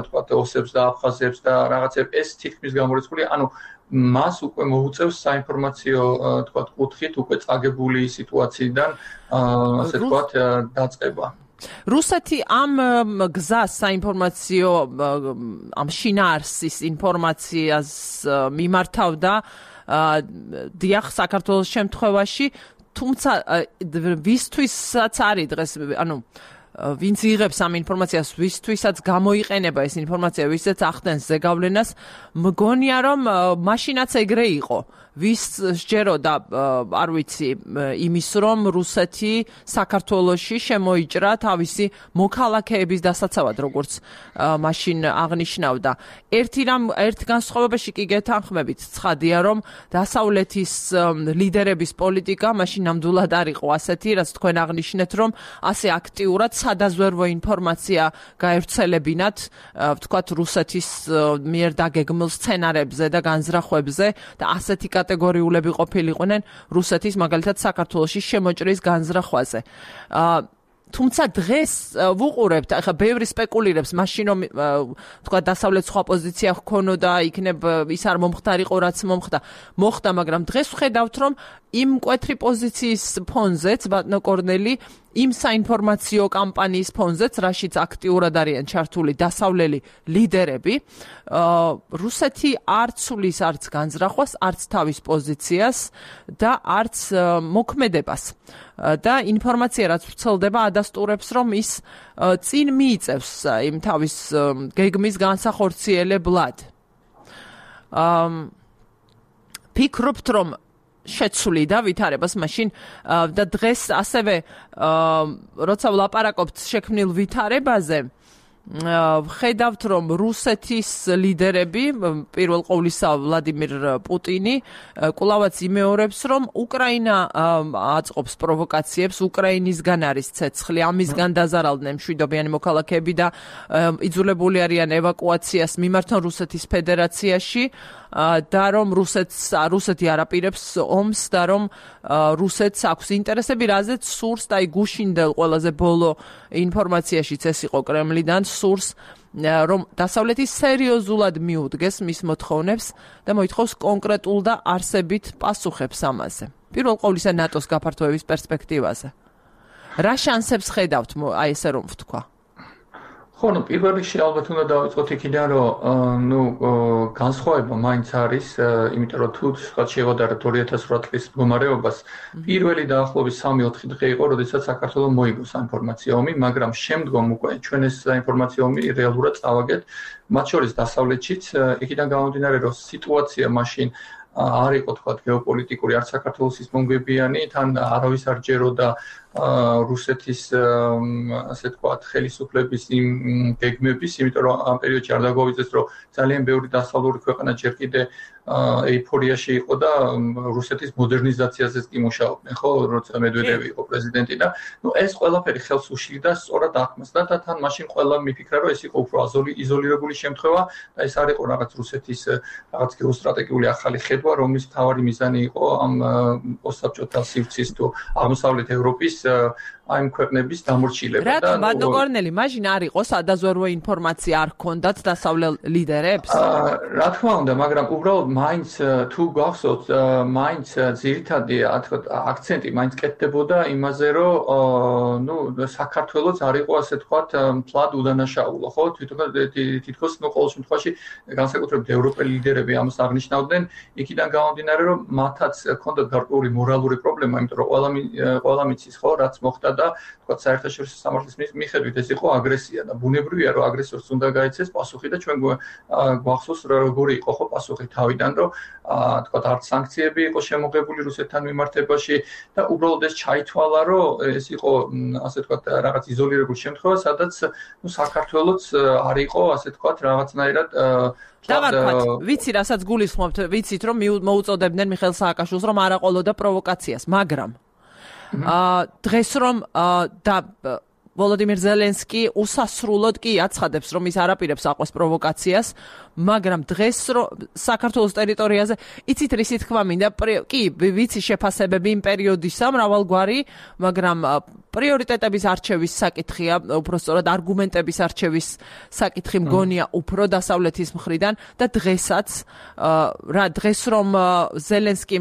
Speaker 3: ვთქვათ, ოსებს და აფხაზებს და რაღაცებს, ეს თითქმის გამორიცხულია, მას უკვე მოუწევს საინფორმაციო ვთქვათ, კუთხით უკვე წაგებული სიტუაციიდან ასე ვთქვათ, დაწყება.
Speaker 1: რუსეთი ამ გზას საინფორმაციო ამ შინაარსის ინფორმაციას მიმართავდა დიახ საქართველოს შემთხვევაში, თუმცა ვისთვისაც არის დღეს, ვინც იღებს ამ ინფორმაციას, ვისთვისაც გამოიყენება ეს ინფორმაცია, ვისაც ახდენს ზეგავლენას, მგონია რომ მაშინაც ეგრე იყო. ვის სჯეროდა, არ ვიცი, იმის რომ რუსეთი საქართველოში შემოიჭრა თავისი მოქალაქეების დასაცავად, როგორც მაშინ აღნიშნავდა. ერთ განსხვავებაში კი გეთანხმებით, ცხადია რომ დასავლეთის ლიდერების პოლიტიკა მაშინ ნამდვილად არ იყო ასეთი, რაც თქვენ აღნიშნეთ, რომ ასე აქტიურად სადაზვერვო ინფორმაცია გაევრცელებინათ, ვთქვათ, რუსეთის მიერ დაგეგმილ სცენარებზე და განზრახვებზე და ასეთი კატეგორიულები ყოფილიყვნენ რუსეთის მაგალითად საქართველოში შემოჭრის განზრახვაზე. თუმცა დღეს ვუყურებთ, ახლა ბევრი სპეკულირებს, მაშინ რომ თქვა დასავლეთ სხვა პოზიცია ჰქონოდა, იქნებ ის არ მომხდარიყო, რაც მოხდა, მაგრამ დღეს ვხედავთ, რომ იმ მკვეთრი პოზიციის ფონზეც, ბატონო კორნელი, იმ საინფორმაციო კამპანიის ფონზეც, რაშიც აქტიურად არიან ჩართული დასავლელი ლიდერები, რუსეთი არ ცulis არც განზრახვას, არც თავის პოზიციას და არც მოქმედებას. და ინფორმაცია რაც ვრცელდება ადასტურებს, რომ ის წინ მიიწევს იმ თავის გეგმის განსახორციელებლად. ფიქრობთ, რომ შეცვლიდა ვითარებას მაშინ და დღეს ასევე როცა ვლაპარაკობთ შექმნილ ვითარებაზე, ვხედავთ, რომ რუსეთის ლიდერები, პირველ ყოვლისა ვლადიმირ პუტინი, კვლავაც იმეორებს, რომ უკრაინა აწყობს პროვოკაციებს, უკრაინისგან არის ცეცხლი, ამისგან დაზარალდნენ მშვიდობიანი მოქალაქეები და იძულებული არიან ევაკუაციას მიმართონ რუსეთის ფედერაციაში. და რომ რუსეთი არაპირებს ომს და რომ რუსეთს აქვს ინტერესები, რაზეც სურს და გუშინდელ ყველაზე ბოლო ინფორმაციაშიც ეს იყო კრემლიდან, სურს რომ დასავლეთი სერიოზულად მიუდგეს მის მოთხოვნებს და მოითხოვს კონკრეტულ და არსებით პასუხებს ამაზე. პირველ ყოვლისა ნატოს გაფართოების პერსპექტივაზე. რა შანსებს ხედავთ, აი ესე რომ ვთქვა?
Speaker 3: ხო, პირველ რიგში ალბათ უნდა დავიწყოთ იქიდან, რომ განსხვავება მაინც არის, იმიტომ რომ თუ შევადარებთ 2008 წლის მდგომარეობას, პირველი დაახლოებით 3-4 დღე იყო, როდესაც საქართველოს მოიგო საინფორმაციო ომი, მაგრამ შემდგომ უკვე ჩვენ ეს საინფორმაციო ომი რეალურად წავაგეთ, მათ შორის დასავლეთშიც, იქიდან გამომდინარე, რომ სიტუაცია მაშინ არ იყო თქვათ გეოპოლიტიკური, არც საქართველოს ის მომგებიანი, თან არავის არ ჯეროდა რუსეთის ასე თქვათ ხელისუფლების იმ გეგმების, იმიტომ რომ ამ პერიოდში არ დაგვავიწყდეს, რომ ძალიან ბევრი დასავლური ქვეყანა ჯერ კიდე ეიფორიაში იყო და რუსეთის მოდერნიზაციაზეც კი მუშაობდნენ, ხო, როცა მედვედევი იყო პრეზიდენტი და ეს ყველაფერი ხელს უშლიდა სწორად აღქმას და თან მაშინ ყველა მიფიქრა, რომ ეს იყო უფრო იზოლირებული შემთხვევა და ეს არ იყო რაღაც რუსეთის რაღაც გეოსტრატეგიული ახალი ხედვა, რომლის მთავარი მიზანი იყო ამ პოსტსაბჭოთა სივრცის თუ აღმოსავლეთ ევროპის ამ ქვეყნების დამორჩილება
Speaker 1: და ბატონო კორნელი, მაშინ არ იყო სადაზვერვო ინფორმაცია არ ჰქონდათ დასავლელ ლიდერებს?
Speaker 3: რა თქმა უნდა, მაგრამ უბრალოდ მაინც თუ გახსოვთ, მაინც ძირითადი აქცენტი მაინც კეთდებოდა იმაზე, რომ საქართველოს არ იყო ასე თქვათ მთლად უდანაშაულო, ხო? თითქოს ყოველ შემთხვევაში განსაკუთრებით ევროპელი ლიდერები ამას აღნიშნავდნენ, იქიდან გამომდინარე, რომ მათაც ჰქონდათ გარკვეული მორალური პრობლემა, იმიტომ რომ ყველა მიცის, ხო, რაც მოხდა და თქვა საერთაშორისო სამართლის მიხედვით ეს იყო აგრესია და ბუნებრივია რომ აგრესორს უნდა გაეცეს პასუხი და ჩვენ გვახსოვს როგორი იყო ხო პასუხი თავიდან რომ თქვა არც სანქციები იყო შემოღებული რუსეთთან მიმართებაში და უბრალოდ ეს ჩაითვალა რომ ეს იყო ასე თქვა რაღაც იზოლირებული შემთხვევა სადაც საქართველოც არ იყო ასე თქვა რაღაცნაირად
Speaker 1: ვიცი რასაც გულისხმობთ ვიცით რომ მოუწოდებდნენ მიხეილ სააკაშვილს რომ არ აყოლოდა პროვოკაციას მაგრამ დღეს რომ და ვოლოდიმირ ზელენსკი უსასრულოდ კი აცხადებს რომ ის არ აპირებს აყვეს პროვოკაციას მაგრამ დღეს რომ საქართველოს ტერიტორიაზე იცით რისი თქმა მინდა კი ვიცი შეფასებები იმ პერიოდისა მრავალგვარი მაგრამ პრიორიტეტების არჩევის საკითხია უფრო სწორად არგუმენტების არჩევის საკითხი მგონია უფრო დასავლეთის მხრიდან და დღესაც დღეს რომ ზელენსკი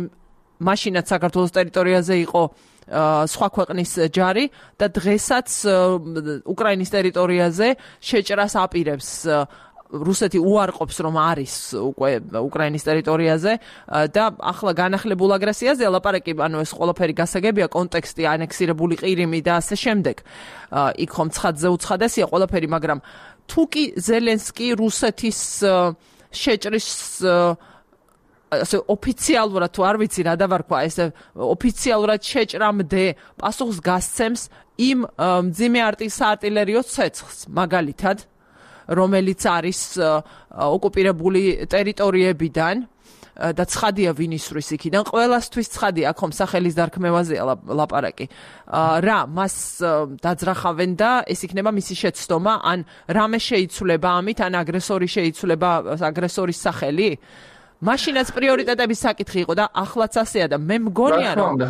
Speaker 1: მაშინაც საქართველოს ტერიტორიაზე იყო სხვა ქვეყნის ჯარი და დღესაც უკრაინის ტერიტორიაზე შეჭრას აპირებს რუსეთი უარყოფს რომ არის უკვე უკრაინის ტერიტორიაზე და ახლა განახლებულ აგრესიაზე ლაპარაკი ანუ ეს ყველაფერი გასაგებია კონტექსტი ანექსირებული ყირიმი და ასე შემდეგ იქ ხომ ცხადზე უცხადესია ყველაფერი მაგრამ თუკი ზელენსკი რუსეთის შეჭრის ასე ოფიციალურად თუ არ ვიცი რა დავარქვა ესე ოფიციალურად შეჭრამდე პასუხს გასცემს იმ მძიმე საარტილერიო ცეცხლს მაგალითად რომელიც არის ოკუპირებული ტერიტორიებიდან და ცხადია ვინ ისვრის იქიდან ყველასთვის ცხადია აქ ხომ სახელის დარქმევაზეა ლაპარაკი რა მას დაძრახავენ და ეს იქნება მისი შეცდომა ან რამე შეიცვლება ამით ან აგრესორი შეიცვლება აგრესორის სახელი მაშინაც პრიორიტეტების საკითხი იყო და ახლაც ასეა და მე მგონია რომ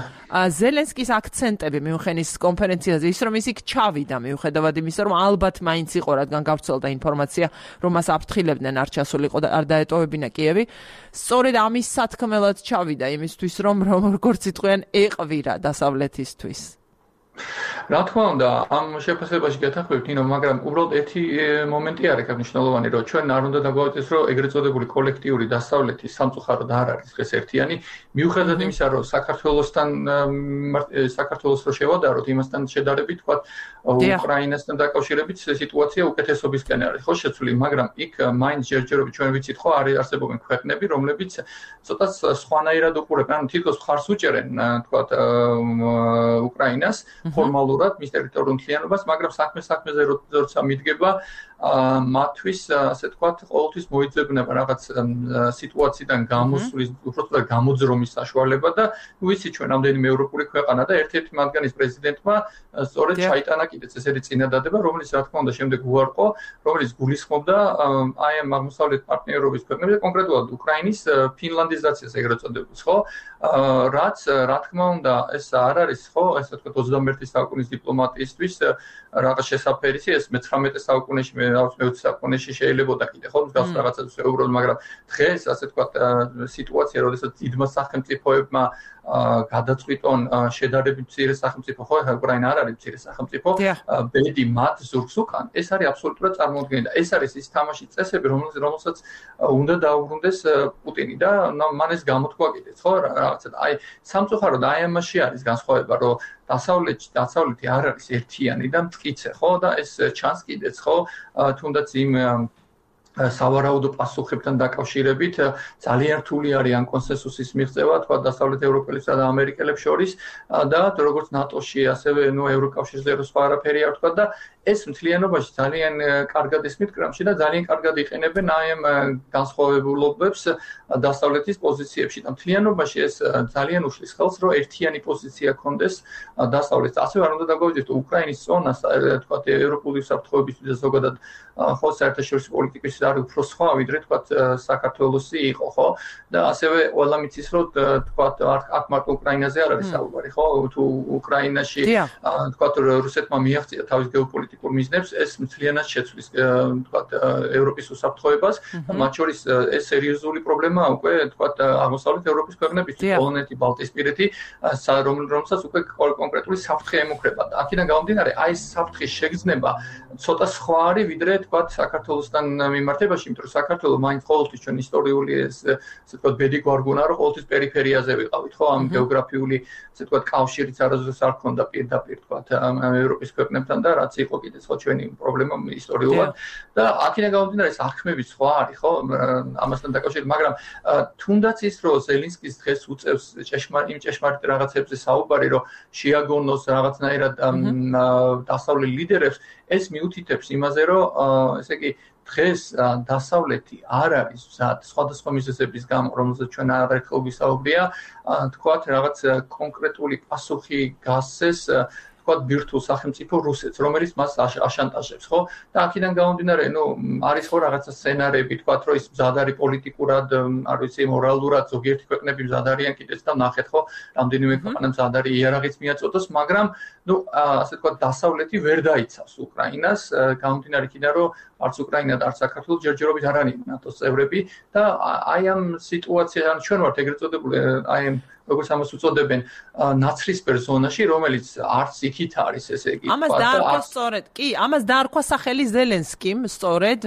Speaker 1: ზელენსკის აქცენტები მიუხედავად კონფერენციაზე ის რომ ის იქ ჩავიდა მიუხედავად იმისა რომ ალბათ მაინც იყო რადგან გავრცელდა ინფორმაცია რომ მას აფრთხილებდნენ არ ჩასულიყო და არ დაეტოვებინა კიევი სწორედ ამის სათქმელად ჩავიდა იმისთვის რომ როგორც იტყვიან ეყვირა დასავლეთისთვის
Speaker 3: რა თქმა უნდა ამ შეფასებაში გეთანხმებით ნინო მაგრამ უბრალოდ ერთი მომენტი არის მნიშვნელოვანი რომ ჩვენ არ უნდა დაგვაუწყდეს რომ ეგრეთ წოდებული კოლექტიური დასავლეთის სამწუხაროდ არ არის დღეს ერთიანი მიუხედავად იმისა რომ საქართველოს რო შევადაროთ იმასთან შედარებით თქვა უკრაინასთან დაკავშირებით სიტუაცია უკეთესობისკენ არის ხო შეცვლილი მაგრამ იქ მაინც ჯერჯერობით ჩვენ ვიცით ხო არის არსებობენ ქვეყნები რომლებიც ცოტა სხვანაირად უყურებენ ანუ თითქოს მხარს უჭერენ თქვა უკრაინას ფორმალურად მის ტერიტორიულ მთლიანობას, მაგრამ საქმეზე როცა მიდგება მათთვის ასე თქვათ ყოველთვის მოიძებნება რაღაც სიტუაციიდან გამოსვლის, უბრალოდ გამოძრომის საშუალება და ვიცი ჩვენ რამდენიმე ევროპული ქვეყანა და ერთ-ერთი მათგანის პრეზიდენტმა სწორედ ჩაიტანა კიდეც ესეთი წინადადება, რომელიც რა თქმა უნდა შემდეგ უარყო, რომელიც გულისხმობდა აი ამ აღმოსავლეთ პარტნიორობის ქვეყნებს და კონკრეტულად უკრაინის ფინლანდიზაციას ეგრეთ წოდებას, ხო? რაც რა თქმა უნდა ეს არ არის, ხო, ესე ვთქვათ 21 საუკუნის დიპლომატიისთვის რაღაც შესაფერისი, ეს მე-19 საუკუნეში მე-20 საუკუნეში შეიძლებოდა კიდე, ხო, მსგავს რაღაცას ეუბრალოდ, მაგრამ დღეს ასე ვთქვათ სიტუაცია, როდესაც დიდმა სახელმწიფოებმა გადაწყვიტონ შედარებით მცირე სახელმწიფო, ხო, უკრაინა არ არის მცირე სახელმწიფო, ბედი მათ ზურგს უკან, ეს არის აბსოლუტურად წარმოუდგენელი და ეს არის ის თამაშის წესები, რომელსაც უნდა დაუბრუნდეს პუტინი და მან ეს გამოთქვა კიდეც, ხო, რაღაცა აი სამწუხაროდ აი ამაში არის განსხვავება, რომ დასავლეთი არ არის ერთიანი და მტკიცე, ხო და ეს ჩანს კიდეც, ხო, თუნდაც იმ სავარაუდო პასუხებთან დაკავშირებით ძალიან რთული არის ამ კონსენსუსის მიღწევა, თქვა დასავლეთ ევროპელებსა და ამერიკელებს შორის და როგორც ნატოში, ასევე ევროკავშირზე სხვა არაფერი არ თქვა და ეს მთლიანობაში ძალიან კარგად ის მითხრამში და ძალიან კარგად იყენებენ აი ამ განსხვავებულობებს დასავლეთის პოზიციებში და მთლიანობაში ეს ძალიან უშლის ხელს, რომ ერთიანი პოზიცია კონდეს დასავლეთს. ასევე არ უნდა დაგვაუწყდეს უკრაინის ზონას, თქვა ევროპული საფრთხეებისთვის და ზოგადად ხო საერთაშორისო პოლიტიკის არის უფრო სხვა, ვიდრე თქვა საქართველოსი იყო, ხო? და ასევე ყველა მიცის, რომ თქვა აქ მარტო უკრაინაზე არ არის საუბარი, ხო? თუ უკრაინაში თქვა რუსეთმა მიაღწია თავის გეოპოლიტიკას გეოპოლიტიკურ მიზნებს ეს მთლიანად შეცვლის თქვათ ევროპის უსაფრთხოებას მათ შორის ეს სერიოზული პრობლემაა უკვე თქვათ აღმოსავლეთ ევროპის ქვეყნებისთვის პოლონეთი ბალტიისპირეთი რომელსაც უკვე კონკრეტული საფრთხე ემუქრება და აქედან გამომდინარე აი ეს საფრთხის შეგრძნება ცოტა სხვა არის ვიდრე თქვათ საქართველოსთან მიმართებაში იმიტომ რომ საქართველო მაინც ყოველთვის ჩვენ ისტორიული ესე თქვათ ბედი გვარგუნა რომ ყოველთვის პერიფერიაზე ვიყავით ხო ამ გეოგრაფიული ესე თქვათ კავშირიც არასდროს არ ქონდა პირდაპირ თქვათ ევროპის ქვეყნებთან და რაც იყო კიდე სხვა ჩვენი პრობლემა ისტორიულად და აქედან გამომდინარე ეს აღქმები სხვა არის ხო ამასთან დაკავშირებით მაგრამ თუნდაც ის რომ ზელენსკის დღეს უწევს ჭეშმარიტ რაღაცებზე საუბარი რომ შეაგონოს რაღაცნაირად დასავლელ ლიდერებს ეს მიუთითებს იმაზე რომ ესე იგი დღეს დასავლეთი არ არის მზად სხვადასხვა მიზეზების გამო რომელზეც ჩვენ არაერთხელ ვისაუბრია თქვათ რაღაც კონკრეტული პასუხი გასცეს თქვათ ბირთვულ სახელმწიფო რუსეთს რომელიც მას აშანტაჟებს ხო და აქედან გამომდინარე ნუ არის ხო რაღაცა სცენარები თქვათ რომ ის მზად არის პოლიტიკურად არ ვიცი მორალურად ზოგიერთი ქვეყნები მზად არიან კიდეც და ნახეთ ხო რამდენიმე ქვეყანა მზად არის იარაღიც მიაწოდოს მაგრამ ნუ ასე თქვათ დასავლეთი ვერ დაიცავს უკრაინას გამომდინარე იქიდან რომ არც უკრაინა და არც საქართველო ჯერჯერობით არ არიან ნატოს წევრები და აი ამ სიტუაციიდან ჩვენ ვართ ეგრეთ წოდებული აი ამ როგორც ამას უწოდებენ ნაცრისფერ ზონაში რომელიც არც იქით არის ესე იგი
Speaker 1: ამას დაარქვა სწორედ კი ამას დაარქვა სახელი ზელენსკიმ სწორედ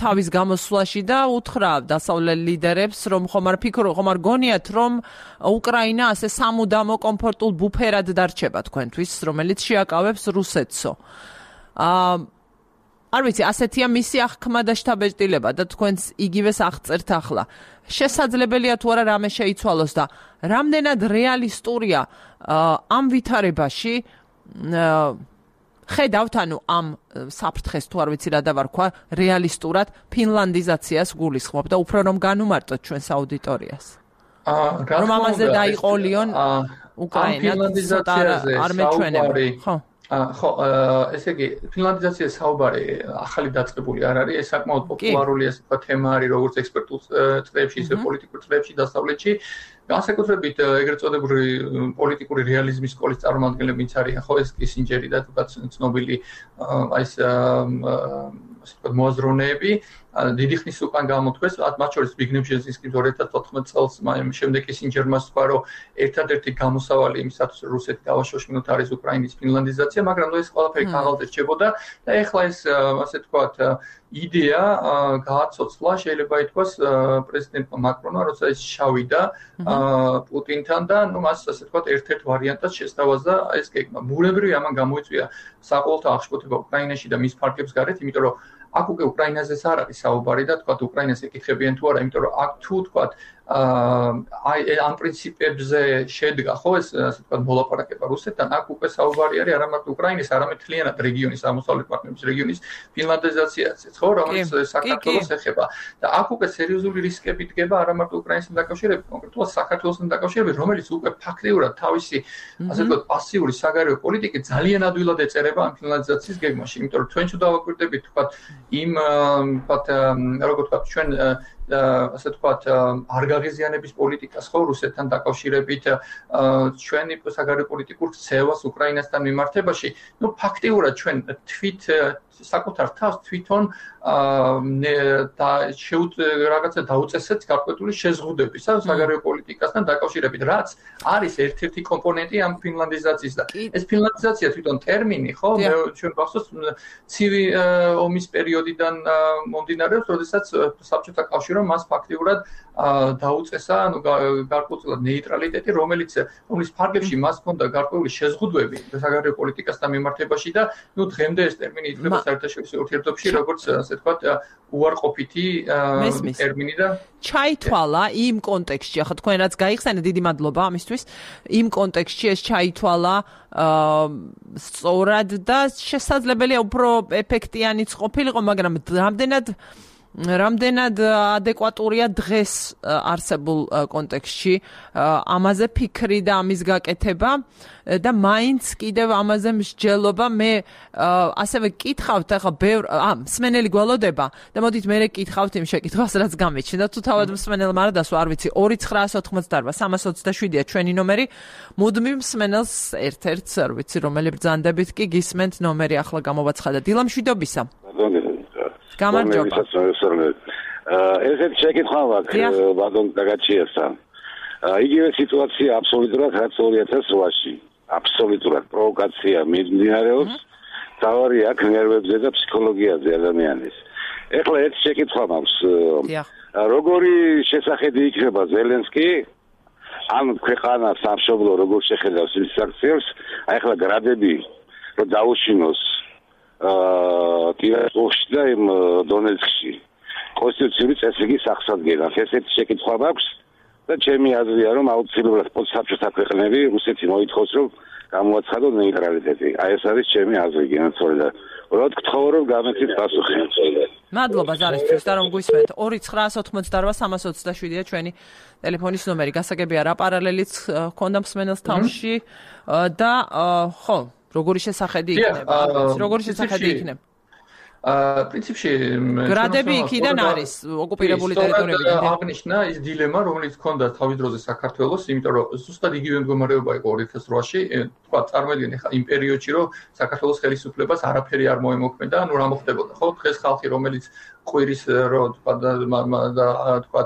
Speaker 1: თავის გამოსვლაში და უთხრა დასავლელ ლიდერებს რომ ხომ არ გონიათ რომ უკრაინა ასე სამუდამო კომფორტულ ბუფერად დარჩება თქვენთვის რომელიც შეაკავებს რუსეთსო არ ვიცი ასეთია მისი აღქმა და შთაბეჭდილება და თქვენს იგივეს აღწერთ ახლა შესაძლებელია თუ არა რამე შეიცვალოს და რამდენად რეალისტურია ამ ვითარებაში ხედავთ ანუ ამ საფრთხეს თუ არ ვიცი რა დავარქვა რეალისტურად ფინლანდიზაციას გულისხმობ და უფრო რომ განუმარტოთ ჩვენს აუდიტორიას რომ ამაზე დაიყოლიონ უკრაინა არ მეჩვენება ხო
Speaker 3: ხო ესე იგი ფინლანდიზაციის საუბარი ახალი დაწყებული არ არის ეს საკმაოდ პოპულარული ასე ვთქვათ თემა არის როგორც ექსპერტულ წრეებში ისე პოლიტიკურ წრეებში დასავლეთში განსაკუთრებით ეგრეთ წოდებული პოლიტიკური რეალიზმის სკოლის წარმომადგენლებიც არიან ხო ეს კისინჯერი და თქვათ ცნობილი აი ეს ასე ვთქვათ მოაზროვნეები დიდი ხნის უკან გამოთქვეს მათ შორის ზბიგნევ ბჟეზინსკი 2014 წელს შემდეგ კისინჯერმა თქვა რომ ერთადერთი გამოსავალი იმისათვის რუსეთი დავაშოშმინოთ არის უკრაინის ფინლანდიზაცია მაგრამ ეს ყველაფერი ქაღალდზე რჩებოდა და ეხლა ეს ასე ვთქვათ იდეა გააცოცხლა შეიძლება ითქვას პრეზიდენტმა მაკრონმა როცა ის შავიდა პუტინთან და ნუ მას ასე ვთქვათ ერთ-ერთ ვარიანტად შესთავაზა ეს გეგმა ბუნებრივია ამან გამოიწვია საყოველთაო აღშფოთება უკრაინაში და მის ფარგლებს გარეთ იმიტომ რომ აქ უკვე უკრაინაზეც არ არის საუბარი და თქვათ უკრაინას ეკითხებიან თუ არა იმიტომ რომ აქ თუ თქვათ აი ამ პრინციპებზე შედგა ხო ეს ასე ვთქვათ მოლაპარაკება რუსეთთან აქ უკვე საუბარი არის არა მარტო უკრაინის არამედ მთლიანად რეგიონის აღმოსავლეთ პარტნიორების რეგიონის ფინლანდიზაციაზეც ხო რომელიც საქართველოს ეხება და აქ უკვე სერიოზული რისკები დგება არა მარტო უკრაინასთან დაკავშირებით კონკრეტულად საქართველოსთან დაკავშირებით რომელიც უკვე ფაქტიურად თავისი ასე ვთქვათ პასიური საგარეო პოლიტიკი ძალიან ადვილად ეწერება ამ ფინლანდიზაციის გეგმაში იმიტომ რომ ჩვენ თუ დავაკვირდებით თქვათ იმ ვთქვათ როგორ ვთქვათ ჩვენ ასე ვთქვათ არ გაღიზიანების პოლიტიკას ხო რუსეთთან დაკავშირებით ჩვენი საგარეო პოლიტიკურ ქცევას უკრაინასთან მიმართებაში ნუ ფაქტიურად ჩვენ თვით საკუთარ თავს თვითონ და რაღაცა დაუწესეთ გარკვეული შეზღუდვები საგარეო პოლიტიკასთან დაკავშირებით რაც არის ერთ-ერთი კომპონენტი ამ ფინლანდიზაციის და ეს ფინლანდიზაცია თვითონ ტერმინი ხო ჩვენ გახსოვს ცივი ომის პერიოდიდან მომდინარეობს როდესაც საბჭოთა კავშირმა მას ფაქტიურად დაუწესა ანუ გარკვეულად ნეიტრალიტეტი რომლის ფარგლებში მას ჰქონდა გარკვეული შეზღუდვები საგარეო პოლიტიკასთან მიმართებაში და ნუ დღემდე ეს ტერმინი ითვლება საერთაშორისო ურთიერთობებში როგორც ასე ვთქვათ უარყოფითი ტერმინი და
Speaker 1: ჩაითვალა იმ კონტექსტში ახლა თქვენ რაც გაიხსენეთ დიდი მადლობა ამისთვის იმ კონტექსტში ეს ჩაითვალა სწორად და შესაძლებელია უფრო ეფექტიანიც ყოფილიყო მაგრამ რამდენად რამდენად ადეკვატურია დღეს არსებულ კონტექსტში ამაზე ფიქრი და ამის გაკეთება და მაინც კიდევ ამაზე მსჯელობა მე ასევე გკითხავთ ახლა ბევრ მსმენელი გველოდება და მოდით მე გკითხავთ იმ შეკითხვას რაც გამიჩნდა თუ თავად მსმენელმა არ დასვა არ ვიცი 2988-327-ია ჩვენი ნომერი მუდმივ მსმენელს ერთ-ერთს არ ვიცი რომელი ბრძანდებით კი გისმენთ ნომერი ახლა გამოვაცხადა დილა მშვიდობისა გამარჯობა
Speaker 4: ესეთი შეკითხვა მაქვს ბატონ გაგაჩიასთან იგივე სიტუაცია აბსოლუტურად რაც 2008-ში აბსოლუტურად პროვოკაცია მიმდინარეობს თავარი აქ ნერვებზე და ფსიქოლოგიაზე ადამიანის ეხლა ერთი შეკითხვა მაქვს როგორი შესახედი იქნება ზელენსკი ამ ქვეყანას სამშობლო როგორ შეხედავს ის საქციელს ახლა გრადები რომ დაუშინოს ტირასპოლში და იმ დონეცკში კონსტიტუციური წესრიგის აღსადგენად ესეთი შეკითხვა მაქვს და ჩემი აზრია რომ აუცილებლად პოსტსაბჭოთა ქვეყნები რუსეთი მოითხოვს რომ გამოაცხადონ ნეიტრალიტეტი აი ეს არის ჩემი აზრი გენაცვალე და უბრალოდ გთხოვ რომ გამეცით პასუხი
Speaker 1: მადლობა ზარისთვის და რომ გვისმენთ 2988-327-ია ჩვენი ტელეფონის ნომერი გასაგებია რა პარალელიც ჰქონდა მსმენელს თავში და ხო როგორი შესახედი იქნება როგორი შესახედი იქნება
Speaker 3: პრინციპში
Speaker 1: გრადები იქიდან არის ოკუპირებული ტერიტორიებიდან
Speaker 3: აღნიშნა ის დილემა რომელიც ჰქონდა თავის დროზე საქართველოს იმიტომ რომ ზუსტად იგივე მდგომარეობა იყო 2008-ში თქვა წარმოედგინე ხა იმ პერიოდში რომ საქართველოს ხელისუფლებას არაფერი არ მოემოქმედა ანუ რა მოხდებოდა ხო დღეს ხალხი რომელიც ყვირის რო თქვა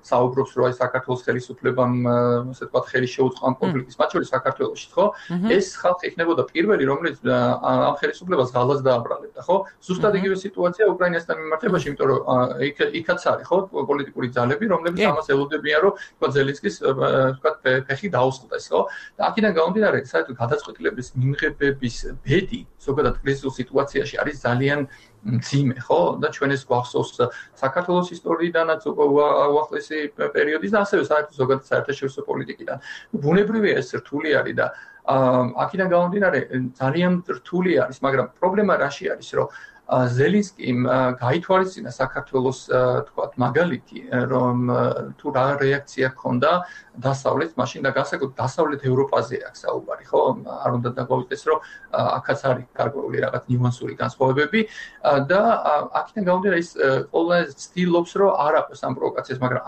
Speaker 3: საუბრობს რომ აი საქართველოს ხელისუფლებამ ასე თქვა ხელი შეუწყო ამ კონფლიქტის მათ შორის საქართველოში ხო ეს ხალხი იქნებოდა პირველი რომელიც ამ ხელისუფლებას ღალატს დააბრალებდა ხო ზუსტად იგივე სიტუაცია უკრაინასთან მიმართებაში იმიტომ რომ იქაც არის ხო პოლიტიკური ძალები რომლებიც ამას ელოდებიან რომ თქვა ზელენსკის თქვა ფეხი დაუსხლტეს ხო და აქედან გამომდინარე საერთოდ გადაწყვეტილების მიმღებების ბედი ზოგადად კრიზისულ სიტუაციაში არის ძალიან მძიმე ხო და ჩვენ ეს გვახსოვს საქართველოს ისტორიიდანაც უახლესი პერიოდის და ასევე საერთოდ ზოგადად საერთაშორისო პოლიტიკიდან ბუნებრივია ეს რთული არის და აქედან გამომდინარე ძალიან რთული არის მაგრამ პრობლემა რაში არის რომ ზელენსკიმ გაითვალისწინა საქართველოს თქვათ მაგალითი რომ თუ რა რეაქცია ჰქონდა დასავლეთ მაშინ და განსაკუთრებით დასავლეთ ევროპაზე აქვს საუბარი ხო არ უნდა დაგვაუწყდეს რომ აქაც არის გარკვეული რაღაც ნიუანსური განსხვავებები და აქედან გამომდინარე ის ყველა ცდილობს რომ არ აქვს ამ პროვოკაციას მაგრამ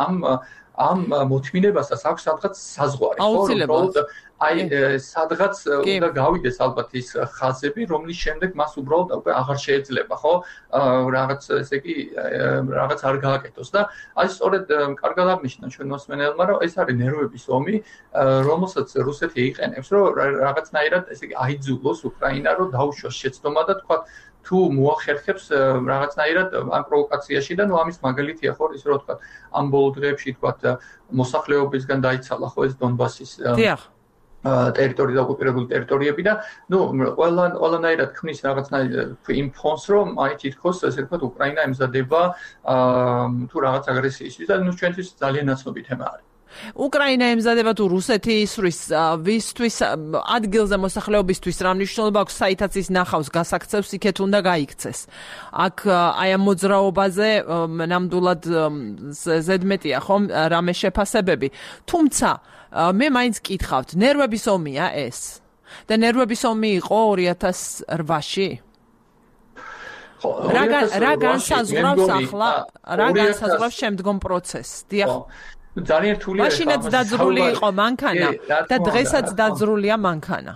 Speaker 3: ამ მოთმინებასაც აქვს სადღაც საზღვარი
Speaker 1: ხო
Speaker 3: აი სადღაც უნდა გავიდეს ალბათ ის ხაზები რომლის შემდეგ მას უბრალოდ უკვე აღარ შეიძლება ხო რაღაც ესე იგი რაღაც არ გააკეთოს და აი სწორედ კარგად აღნიშნა ჩვენ მოსმენელმა რომ ეს არის ნერვების ომი რომელსაც რუსეთი იყენებს რომ რაღაცნაირად ესე იგი აიძულოს უკრაინა რომ დაუშვას შეცდომა და თქვა თუ მოახერხებს რაღაცნაირად ამ პროვოკაციაში და ნუ ამის მაგალითია ხო ის რომ თქვა ამ ბოლო დღეებში თქვა მოსახლეობისგან დაიცალა ხო ეს დონბასის ტერიტორია და ოკუპირებული ტერიტორიები და ნუ ყველანაირად ქმნის რაღაცნაირად იმ ფონს რომ აი თითქოს ესე ვთქვათ უკრაინა ემზადება თუ რაღაც აგრესიისთვის და ნუ ჩვენთვის ძალიან ნაცნობი თემა არის
Speaker 1: უკრაინა ემზადება თუ რუსეთი ისვრის ვისთვის ადგილზე მოსახლეობისთვის რა მნიშვნელობა აქვს საითაც ის ნახავს გასაქცევს იქეთ უნდა გაიქცეს აქ აი ამ მოძრაობაზე ნამდვილად ზედმეტია ხომ რამე შეფასებები თუმცა მე მაინც კითხავთ ნერვების ომია ეს და ნერვების ომი იყო 2008-ში რა განსაზღვრავს ახლა რა განსაზღვრავს შემდგომ პროცესს დიახ
Speaker 3: ძალიან რთულია
Speaker 1: მაშინაც დაძრული იყო მანქანა და დღესაც დაძრულია მანქანა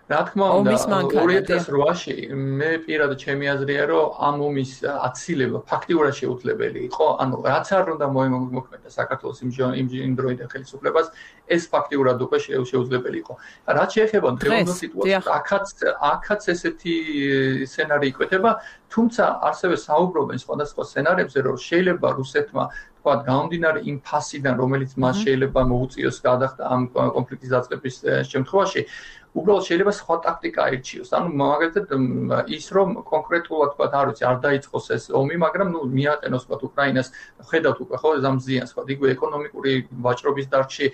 Speaker 3: რა თქმა უნდა 2008-ში მე პირადად ჩემი აზრია რომ ამ ომის აცილება ფაქტიურად შეუძლებელი იყო ანუ რაც არ უნდა მოემოქმედა საქართველოს იმ დროიდან ხელისუფლებას ეს ფაქტიურად უკვე შეუძლებელი იყო რაც შეეხება დღევანდელ სიტუაციას აქაც ესეთი სცენარი იკვეთება თუმცა ასევე საუბრობენ სხვადასხვა სცენარებზე რომ შეიძლება რუსეთმა თქვათ გამომდინარე იმ ფასიდან რომელიც მას შეიძლება მოუწიოს გადახდა ამ კონფლიქტის დაწყების შემთხვევაში უბრალოდ შეიძლება სხვა ტაქტიკა აირჩიოს. ანუ მაგალითად ის რომ კონკრეტულად თქვა არ ვიცი არ დაიწყოს ეს ომი, მაგრამ მიაყენოს თქვა უკრაინას ხედავთ უკვე ხო ამ ზიანს თქვა იგვე ეკონომიკური ვაჭრობის დარგში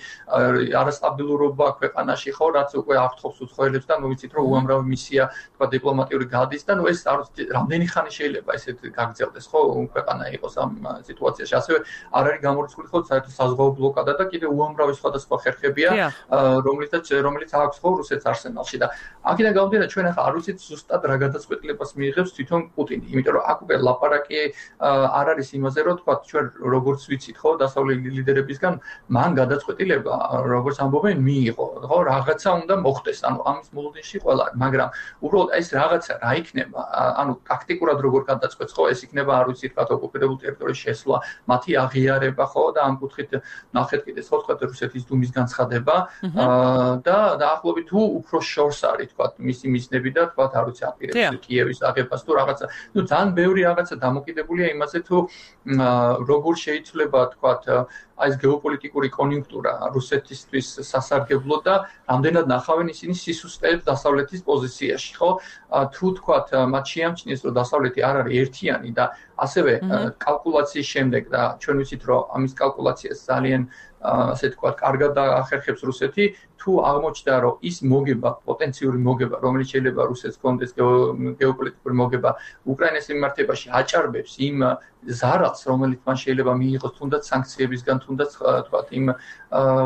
Speaker 3: არასტაბილურობა ქვეყანაში ხო რაც უკვე აფრთხობს უცხოელებს და ვიცით რომ უამრავი მისია თქვა დიპლომატიური გადის და ეს არ ვიცი რამდენი ხანი შეიძლება ესეთ გაგრძელდეს ხო ქვეყანა იყოს ამ სიტუაციაში. ასევე არ არის გამორიცხული ხო საერთოდ საზღვაო ბლოკადა და კიდევ უამრავი სხვადასხვა ხერხებია რომელიც აქვს ხო რუსეთს არსენალში და აქედან გამომდინარე ჩვენ ახლა არ ვიცით ზუსტად რა გადაწყვეტილებას მიიღებს თვითონ პუტინი, იმიტომ რომ აქ უკვე ლაპარაკი არ არის იმაზე რომ თქვა ჩვენ როგორც ვიცით ხო დასავლელი ლიდერებისგან მან გადაწყვეტილება როგორც ამბობენ მიიღო ხო რაღაცა უნდა მოხდეს ანუ ამის მოლოდინში ყველა მაგრამ უბრალოდ ეს რაღაცა რა იქნება ანუ ტაქტიკურად როგორ გადაწყვეტს ხო ეს იქნება არ ვიცი თქვა ოკუპირებულ ტერიტორიის შესვლა მათი აღიარება ხო და ამ კუთხით ნახეთ კიდე ხო თქვა რუსეთის დუმის განცხადება და დაახლოებით თუ უფრო შორს არის თქვა მისი მიზნები და თქვა არ ვიცი აპირებს კიევის აღებას თუ რაღაცა ძალიან ბევრი რაღაცა დამოკიდებულია იმაზე თუ როგორ შეიძლება თქვა აი ეს გეოპოლიტიკური კონიუნქტურა რუსეთისთვის სასარგებლო და რამდენად ნახავენ ისინი სისუსტეებს დასავლეთის პოზიციაში ხო თუ თქვა მათ შეამჩნიეს რომ დასავლეთი არ არის ერთიანი და ასევე კალკულაციის შემდეგ და ჩვენ ვიცით რომ ამის კალკულაციას ძალიან ასე თქვა კარგად ახერხებს რუსეთი თუ აღმოჩნდა რომ ის მოგება პოტენციური მოგება რომელიც შეიძლება რუსეთს კონდეს გეოპოლიტიკური მოგება უკრაინის მიმართებაში აჭარბებს იმ ზარალს რომელიც მან შეიძლება მიიღოს თუნდაც სანქციებისგან თუნდაც თქვა იმ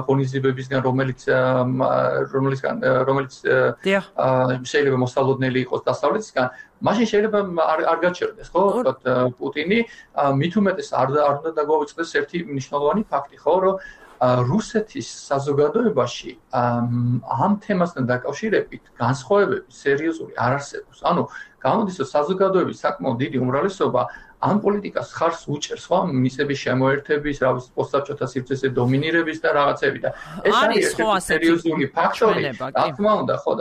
Speaker 3: ღონისძიებებისგან რომელიც შეიძლება მოსალოდნელი იყოს დასავლეთისგან მაშინ შეიძლება არ გაჩერდეს ხო თქვა პუტინი მით უმეტეს არ უნდა დაგვაუწყდეს ერთი მნიშვნელოვანი ფაქტი ხო რომ რუსეთის საზოგადოებაში ამ თემასთან დაკავშირებით განსხვავებები სერიოზული არ არსებობს. ანუ გამოდის რომ საზოგადოების საკმაოდ დიდი უმრავლესობა ამ პოლიტიკას ხარს უჭერს ხო მისების შემოერთების, რა ვიცი, პოსტსაბჭოთა სივრცეზე დომინირების და რაღაცები და ეს არის ერთი სერიოზული ფაქტორი. რა თქმა უნდა, ხო,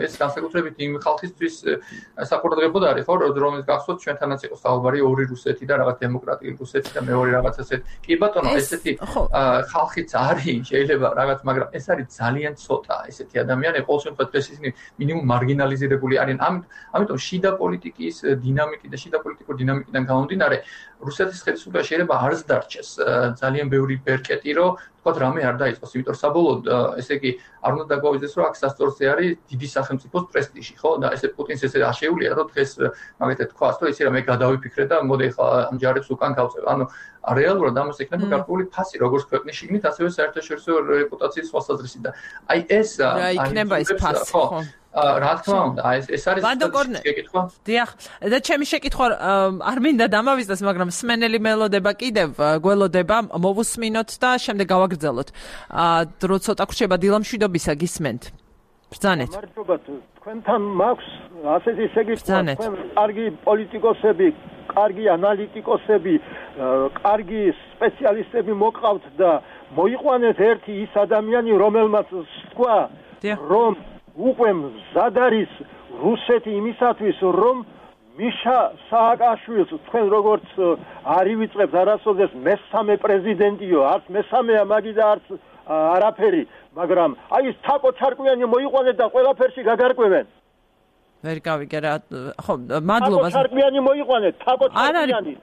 Speaker 3: ეს განსაკუთრებით იმ ხალხისთვის საყურადღებოდ არის, ხო, რომელიც გახსოვთ ჩვენთანაც იყო საუბარი ორი რუსეთი და რაღაც დემოკრატიული რუსეთი და მეორე რაღაც ასეთი. კი ბატონო, ესეთი ხალხიც არის, შეიძლება რაღაც, მაგრამ ეს არის ძალიან ცოტა ესეთი ადამიანები, ყოველ შემთხვევაში ისინი მინიმუმ მარგინალიზირებული არიან. ამიტომ შიდა პოლიტიკის დინამიკი და შიდა პოლიტიკური დინამიკიდან გამომდინარე რუსეთის ხელისუფლება შეიძლება არც დარჩეს ძალიან ბევრი ბერკეტი რომ თქვა რამე არ დაიწყოს იმიტომ საბოლოოდ ესე იგი არ უნდა დაგვაუძეს რომ აქ სასწორზე არის დიდი სახელმწიფოს პრესტიჟი ხო და ესე პუტინს ესე აშეულია რომ დღეს მაგათად თქვას რომ ისე რა მე გადავიფიქრე და მოდი ხა ამ ჯარებს უკან გავწევ ანუ რეალურად ამას ექნება გარკვეული ფასი როგორც ქვეყნის შიგნით ასევე საერთაშორისო რეპუტაციის სხვასაზრისი და აი ეს
Speaker 1: იქნება ეს ფასი ხო
Speaker 3: რა თქმა უნდა ეს არის შეკითხვა
Speaker 1: დიახ და ჩემი შეკითხვა არ მინდა დამავიწყდეს მაგრამ სმენელი მელოდება კიდევ გველოდება მოვუსმინოთ და შემდეგ გავაგრძელოთ დრო ცოტა ხრჩება დილამშვიდობისა გისმენთ ბრძანეთ
Speaker 5: მადლობა თქვენთან მაქვს ასეთი შეკითხვა თქვენ კარგი პოლიტიკოსები კარგი ანალიტიკოსები კარგი სპეციალისტები მოყავთ და მოიყვანეთ ერთი ის ადამიანი რომელმაც თქვა რომ უკვე მზად არის რუსეთი იმისათვის რომ მიშა სააკაშვილს თქვენ როგორც არ ივიწყებთ არასოდეს მესამე პრეზიდენტიო არც მესამეა მაგი და არც არაფერი მაგრამ აი ეს თაკო ჩარკვიანი მოიყვანეთ და ყველაფერში გაგარკვევენ
Speaker 1: ვერ გავიგე რა ხო მადლობა
Speaker 5: თაკო ჩარკვიანი მოიყვანეთ თაკო ჩარკვიანი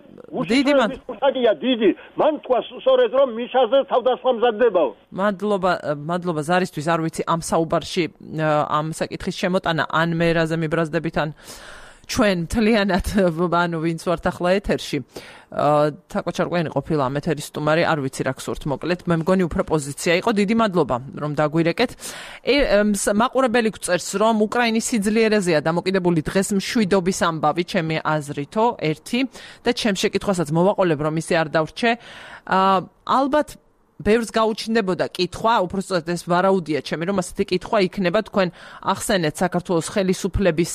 Speaker 1: დიდი
Speaker 5: დიდი მან თქვა სწორედ რომ მიშაზე თავდასხმა მზადდებაო
Speaker 1: მადლობა ზარისთვის არ ვიცი ამ საუბარში ამ საკითხის შემოტანა ან მე რაზე მიბრაზდებით ან ჩვენ მთლიანად ანუ ვინც ვართ ახლა ეთერში თაკო ჩარკვიანი ყოფილა ამ ეთერის სტუმარი არ ვიცი რა გსურთ მოკლედ მე მგონი უფრო პოზიცია იყო დიდი მადლობა რომ დაგვირეკეთ მაყურებელი გვწერს რომ უკრაინის სიძლიერეზეა დამოკიდებული დღეს მშვიდობის ამბავი ჩემი აზრითო ერთი და ჩემ შეკითხვასაც მოვაყოლებ რომ ისე არ დავრჩე ალბათ ბევრს გაუჩნდებოდა კითხვა, უბრალოდ ეს ვარაუდია ჩემი, რომ ასეთი კითხვა იქნება თქვენ ახსენეთ საქართველოს ხელისუფლების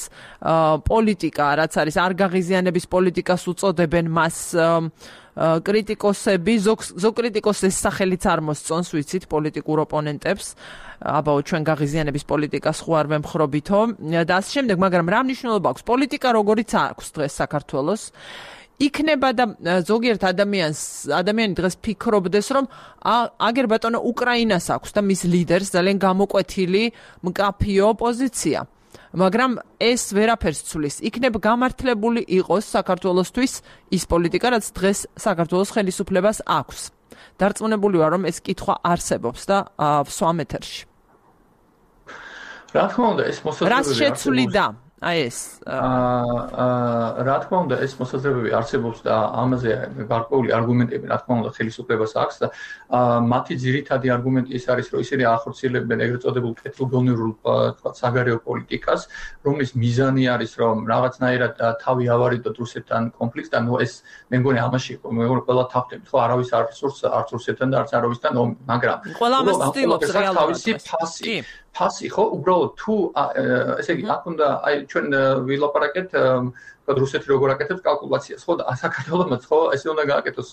Speaker 1: პოლიტიკა, რაც არის არ გაღიზიანების პოლიტიკას უწოდებენ მას კრიტიკოსები, ზოგ კრიტიკოსს ეს სახელიც არ მოსწონს, ვიცით, პოლიტიკურ ოპონენტებს, აბაო ჩვენ გაღიზიანების პოლიტიკას ხო არ ვემხრობითო და ასე შემდეგ, მაგრამ რა მნიშვნელობა აქვს პოლიტიკა, როგორიც აქვს დღეს საქართველოს იქნება და ზოგიერთ ადამიანი დღეს ფიქრობდეს, რომ აგერ ბატონო უკრაინას აქვს და მის ლიდერს ძალიან გამოკვეთილი მკაფიო პოზიცია. მაგრამ ეს ვერაფერს ცulis. იქნებ გამართლებული იყოს საქართველოსთვის ის პოლიტიკა, რაც დღეს საქართველოს ხელისუფლებას აქვს. დარწმუნებული ვარ, რომ ეს კითხვა არსებობს და ვსვამ ეთერში.
Speaker 3: რა თქმა უნდა, ეს მოსაზრებები
Speaker 1: რას შეცვლიდა? ეს
Speaker 3: რა თქმა უნდა ეს მოსაზრებები არსებობს და ამაზე გარკვეული არგუმენტები რა თქმა უნდა ხელისუფლებას აქვს და მათი ძირითადი არგუმენტი ის არის რომ ისინი ახორციელებენ ეგრეთ წოდებულ კეთილგონივრულ საგარეო პოლიტიკას რომლის მიზანი არის რომ რაღაცნაირად თავი ავარიდოთ რუსეთთან კონფლიქტთან ნუ ეს მე მგონი ამაში იყო მე ყველა თავდებით ხო არავის არც რუსეთთან და არც არავისთან მაგრამ
Speaker 1: ყველა ამას ცდილობს რეალურად
Speaker 3: ფასი ხო უბრალოდ თუ ესე იგი აქ უნდა აი ჩვენ ვილაპარაკეთ რუსეთი როგორ აკეთებს კალკულაციას ხო და საქართველოს ხო ესე უნდა გააკეთოს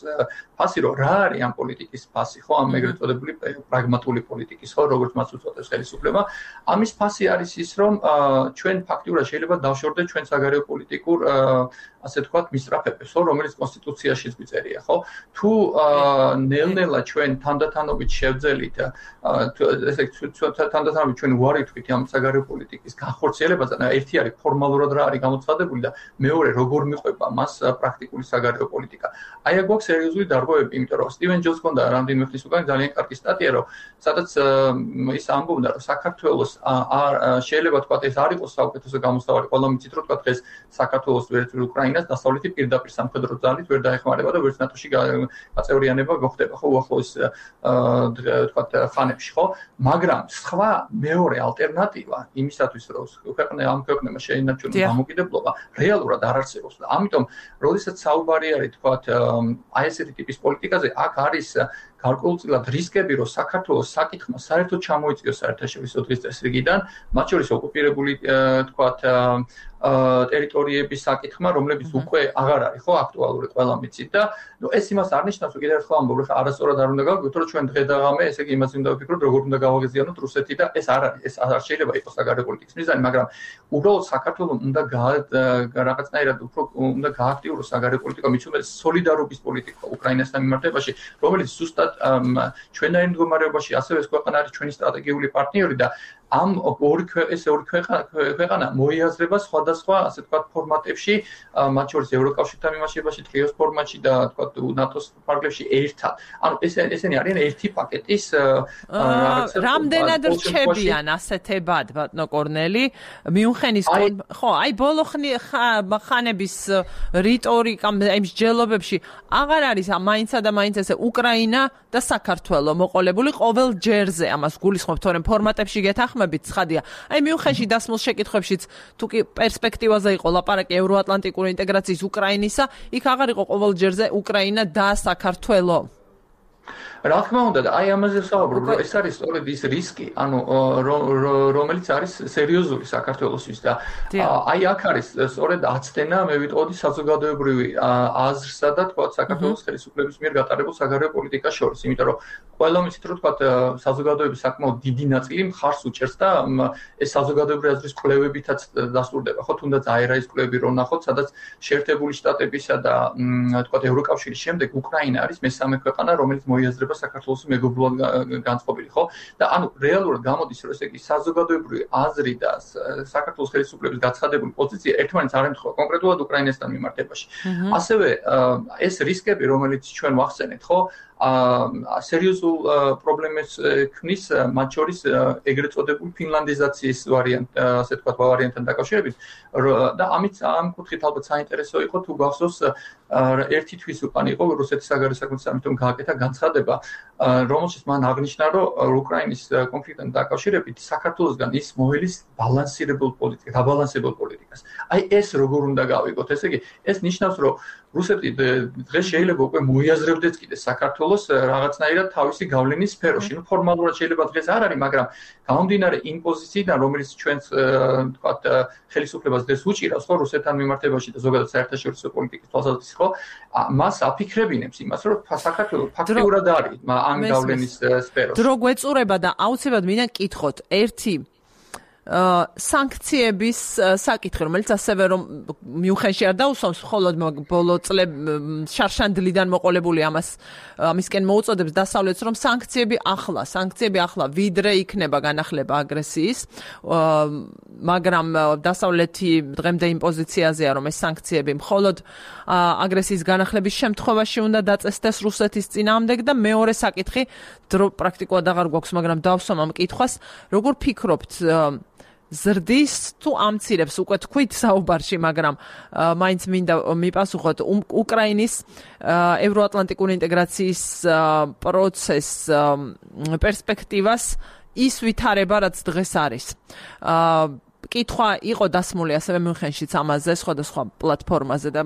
Speaker 3: ფასი რომ რა არის ამ პოლიტიკის ფასი ხო ამ ეგრეთ წოდებული პრაგმატული პოლიტიკის ხო როგორც მას უწოდებს ხელისუფლება ამის ფასი არის ის რომ ჩვენ ფაქტიურად შეიძლება დავშორდეთ ჩვენ საგარეო პოლიტიკურ ასე თქვათ მისწრაფებებს ხო რომელიც კონსტიტუციაშიც მიწერია ხო თუ ნელ-ნელა ჩვენ თანდათანობით შევძელით ესე თანდათანობით ჩვენ უარი ვთქვით ამ საგარეო პოლიტიკის განხორციელებაზე და ერთი არის ფორმალურად რა არის გამოცხადებული და მეორე როგორ მიყვება მას პრაქტიკული საგარეო პოლიტიკა. აი აქ გვაქვს სერიოზული დარღვევები, იმიტომ რომ სტივენ ჯონს ჰქონდა რამდენიმე ხნის უკან ძალიან კარგი სტატია, რომ სადაც ის ამბობდა, რომ საქართველოს შეიძლება თქვა ეს არ იყოს საუკეთესო გამოსავალი, ყველა მიცით რომ თქვა დღეს საქართველოს ვერც უკრაინას დასავლეთი პირდაპირ სამხედრო ძალით ვერ დაეხმარება და ვერც ნატოში გაწევრიანება გხდება, ხო უახლოეს თქვა ხანებში, ხო? მაგრამ სხვა მეორე ალტერნატივა იმისათვის, რომ ამ ქვეყნებმა შეინარჩუნოს დამოკიდებულება, რეალურად არ არსებობს და ამიტომ როდესაც საუბარი არის თქვათ აი ესეთი ტიპის პოლიტიკაზე აქ არის გარკვეულწილად რისკები რომ საქართველოს საკითხმა საერთოდ ჩამოიწიოს საერთაშორისო დღის წესრიგიდან მათ შორის ოკუპირებული თქვათ ტერიტორიების საკითხმა რომლებიც უკვე აღარ არის ხო აქტუალური ყველა მიცით და ნუ ეს იმას არ ნიშნავს რომ კიდევ ერთხელ ამბობ რომ არასწორად არ უნდა გავიგოთ რომ ჩვენ დღე და ღამე ესე იგი იმას უნდა ვფიქროთ როგორ უნდა გავაღიზიანოთ რუსეთი და ეს არ არის ეს არ შეიძლება იყოს საგარეო პოლიტიკის მიზანი მაგრამ უბრალოდ საქართველოს უნდა რაღაცნაირად უფრო უნდა გააქტიუროს საგარეო პოლიტიკა მით უმეტეს სოლიდარობის პოლიტიკა უკრაინასთან მიმართებაში რომელიც ზუსტად ჩვენაირ მდგომარეობაში ასევე ეს ქვეყანა არის ჩვენი სტრატეგიული პარტნიორი და ამ ორი ქვეყანა მოიაზრება სხვადასხვა ასე თქვათ ფორმატებში მათ შორის ევროკავშირთან მიმართებაში ტრიოს ფორმატში და თქვათ ნატოს ფარგლებში ერთად ანუ ესენი არიან ერთი პაკეტის
Speaker 1: რამდენად რჩებიან ასეთებად ბატონო კორნელი მიუნხენის ხო აი ბოლო ხანების რიტორიკა აი მსჯელობებში აღარ არის მაინცა და მაინც ესე უკრაინა და საქართველო მოყოლებული ყოველ ჯერზე ამას გულისხმობთ თორემ ფორმატებში გეთახმებით ცხადია აი მიუნხენში დასმულ შეკითხვებშიც თუ კი პერსპექტივაზე იყო ლაპარაკი ევროატლანტიკური ინტეგრაციის უკრაინისა იქ აღარ იყო ყოველ ჯერზე უკრაინა და საქართველო
Speaker 3: რა თქმა უნდა და აი ამაზე ვსაუბრობ რომ ეს არის სწორედ ის რისკი ანუ რომელიც არის სერიოზული საქართველოსთვის და აი აქ არის სწორედ აცდენა მე ვიტყოდი საზოგადოებრივი აზრსა და თქვა საქართველოს ხელისუფლების მიერ გატარებულ საგარეო პოლიტიკას შორის იმიტომ რომ ყველა მიცით რომ თქვა საზოგადოების საკმაოდ დიდი ნაწილი მხარს უჭერს და ეს საზოგადოებრივი აზრის კვლევებითაც დასტურდება ხო თუნდაც აერაის კვლევები რო ნახოთ სადაც შეერთებული შტატებისა და თქვა ევროკავშირის შემდეგ უკრაინა არის მესამე ქვეყანა რომელიც მოიაზრება საქართველოს მეგობრულად განწყობილი, ხო? და ანუ რეალურად გამოდის, რომ ესე იგი საზოგადოებრივი აზრი და საქართველოს ხელისუფლების გაცხადებული პოზიცია ერთმანეთს არ ემთხვევა კონკრეტულად უკრაინასთან მიმართებაში. ასევე ეს რისკები, რომელიც ჩვენ ვახსენეთ, ხო? სერიოზულ პრობლემებს ქმნის მათ შორის ეგრეთ წოდებული ფინლანდიზაციის ვარიანტი, ასე თქვა ვარიანტთან დაკავშირებით და ამით ამ კუთხით ალბათ საინტერესო იყო თუ გახსოვს ერთი თვის უკან იყო რუსეთის საგარეო საქმეთა სამინისტრომ გააკეთა განცხადება რომელშიც მან აღნიშნა რომ უკრაინის კონფლიქტთან დაკავშირებით საქართველოსგან ის მოელის ბალანსირებულ პოლიტიკას, დაბალანსებულ პოლიტიკას. აი ეს როგორ უნდა გავიგოთ, ესე იგი ეს ნიშნავს რომ რუსეთი დღეს შეიძლება უკვე მოიაზრებდეს კიდე საქართველოს რაღაცნაირად თავისი გავლენის სფეროში. ნუ ფორმალურად შეიძლება დღეს არ არის, მაგრამ გამომდინარე იმ პოზიციიდან, რომელიც ჩვენს თქვათ ხელისუფლებას დღეს უჭირავს, ხო, რუსეთთან მიმართებაში და ზოგადად საერთაშორისო პოლიტიკის თვალსაზრისით, ხო, მას აფიქრებინებს იმას, რომ საქართველო ფაქტიურად არის ამ გავლენის სფეროში.
Speaker 1: დრო გვეწურება და აუცილებლად მინდა გკითხოთ ერთი სანქციების საკითხი, რომელიც ასევე რომ მიუხედავად არ დაუსვამს მხოლოდ ბოლო წლებში შარშანდლიდან მოყოლებული ამისკენ მოუწოდებს დასავლეთს, რომ სანქციები ახლა ვიდრე იქნება განახლება აგრესიის, მაგრამ დასავლეთი დღემდე იმ პოზიციაზეა, რომ ეს სანქციები მხოლოდ აგრესიის განახლების შემთხვევაში უნდა დაწესდეს რუსეთის წინააღმდეგ და მეორე საკითხი დრო პრაქტიკულად აღარ გვაქვს, მაგრამ დავსვამ ამ კითხვას, როგორ ფიქრობთ ზრდის თუ ამცირებს უკვე თქვით საუბარში, მაგრამ მაინც მინდა მიპასუხოთ უკრაინის ევროატლანტიკური ინტეგრაციის პროცესს პერსპექტივას ის ვითარება, რაც დღეს არის. კითხვა იყო დასმული ასევე მიუნხენშიც ამაზე სხვადასხვა პლატფორმაზე და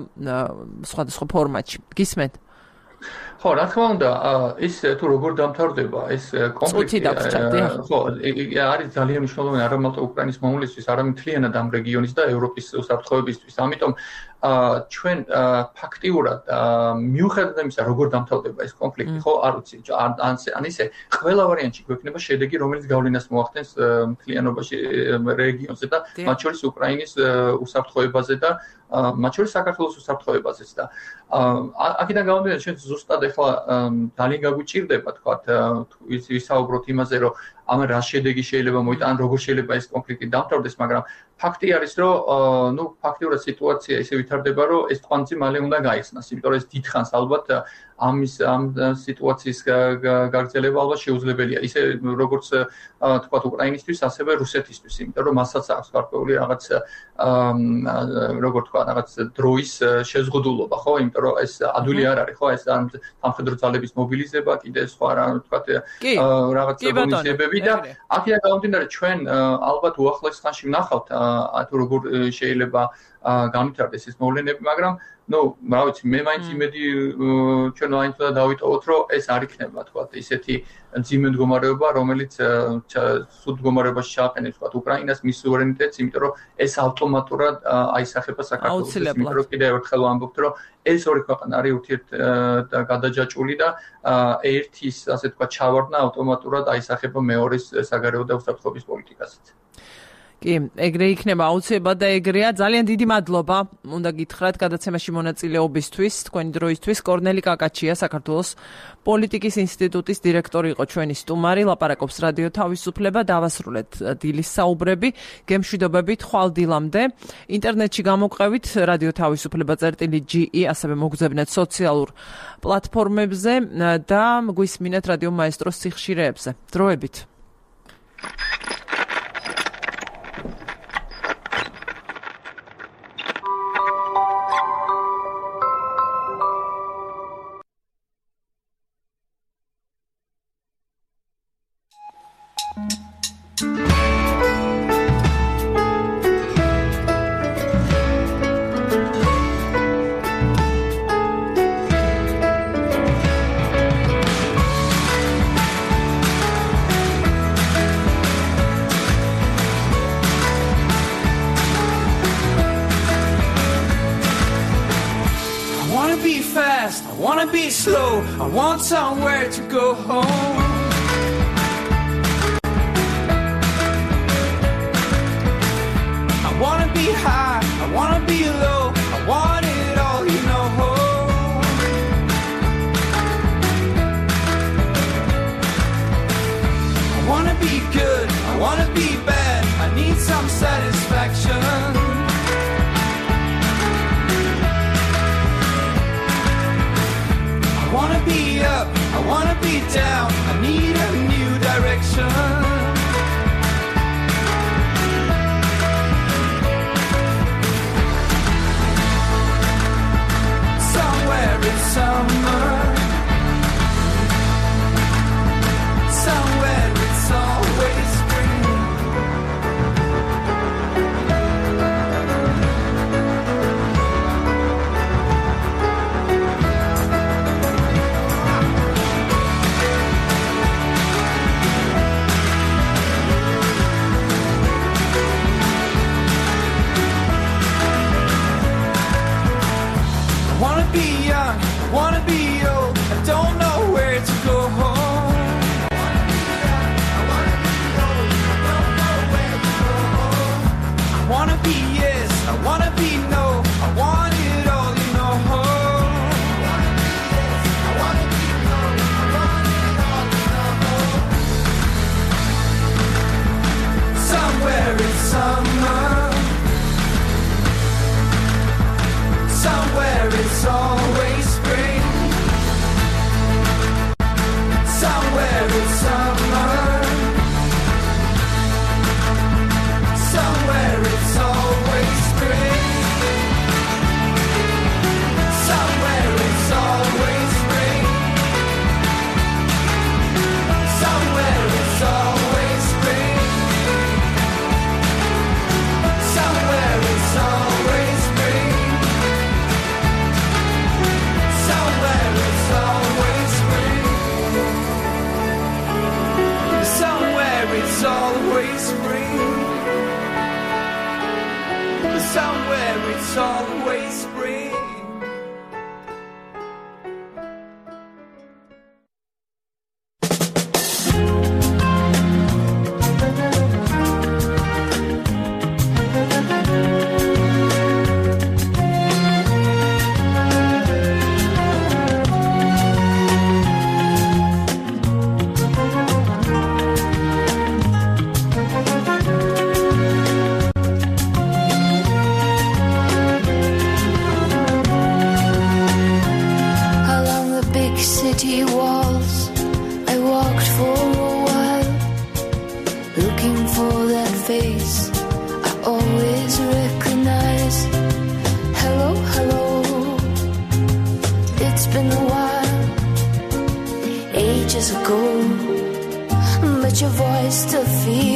Speaker 1: სხვადასხვა ფორმატში. გისმენთ?
Speaker 3: ხო, რა თქმა უნდა, ის თუ როგორ დამთავრდება ეს კონფლიქტი, ხო, არის ძალიან მნიშვნელოვანი არა მარტო უკრაინის მომავლისთვის, არამედ მთლიანად ამ რეგიონის და ევროპის უსაფრთხოებისთვის. ამიტომ ჩვენ ფაქტიურად მიუხედავად იმისა, როგორ დამთავრდება ეს კონფლიქტი, ხო, არ ვიცი, ან ისე ყველა ვარიანტში გვექნება შედეგი, რომელიც გავლენას მოახდენს მთლიანობაში რეგიონზე და მათ შორის უკრაინის უსაფრთხოებაზე და მათ შორის საქართველოს უსაფრთხოებაზეც და აქედან გამომდინარე ჩვენ ზუსტად ახლა ძალიან გაგვიჭირდება თქვათ ვისაუბროთ იმაზე რომ ამ რა შედეგი შეიძლება მოიტანოს ან როგორ შეიძლება ეს კონფლიქტი დამთავრდეს, მაგრამ ფაქტი არის რომ ფაქტიურად სიტუაცია ისე ვითარდება რომ ეს თვალწი მალე უნდა გაიხსნას, იმიტომ რომ ეს დიდხანს ალბათ ამ სიტუაციის გაგრძელება ალბათ შეუძლებელია ისე როგორც თქვათ უკრაინისთვის ასევე რუსეთისთვის, იმიტომ რომ მასაც აქვს გარკვეული რაღაც როგორ თქვა რაღაც დროის შეზღუდულობა, ხო, იმიტომ რომ ეს ადვილი არ არის, ხო, ეს სამხედრო ძალების მობილიზება, კიდე სხვა რა თქვათ რაღაც მონიციებები და აქედან გამომდინარე ჩვენ ალბათ უახლოეს ხანში ვნახავთ თუ როგორ შეიძლება განვითარდეს ეს მოვლენები, მაგრამ რა ვიცი, მე მაინც იმედი ჩვენ მაინც უნდა დავიტოვოთ, რომ ეს არ იქნება თქვათ ისეთი მძიმე მდგომარეობა, რომელიც სულ მდგომარეობაში ჩააყენებს თქვათ უკრაინას მის სუვერენიტეტს, იმიტომ რომ ეს ავტომატურად აისახება საქართველოს, იმიტომ რომ კიდევ ერთხელ ვამბობთ, რომ ეს ორი ქვეყანა არის ურთიერთ გადაჯაჭვული და ერთის ასე თქვათ ჩავარდნა ავტომატურად აისახება მეორის საგარეო და უსაფრთხოების პოლიტიკასაც.
Speaker 1: კი, ეგრე იქნება აუცილებლად და ეგრეა. ძალიან დიდი მადლობა უნდა გითხრათ გადაცემაში მონაწილეობისთვის, თქვენი დროისთვის. კორნელი კაკაჩია, საქართველოს პოლიტიკის ინსტიტუტის დირექტორი იყო ჩვენი სტუმარი, ლაპარაკობს რადიო თავისუფლება. დავასრულეთ დილის საუბრები, გემშვიდობებით ხვალ დილამდე. ინტერნეტში გამოგვყევით რადიო თავისუფლება.ge, ასევე მოგზავნეთ სოციალურ პლატფორმებზე და გვისმინეთ რადიო მაესტროს სიხშირეებზე. დროებით.
Speaker 6: I want somewhere to go home. I want to be high, I want to be low, I want it all, you know. I want to be good, I want to be bad, I need some satisfaction. I wanna be up, I wanna be down, I need where it's always spring.
Speaker 7: But your voice still feels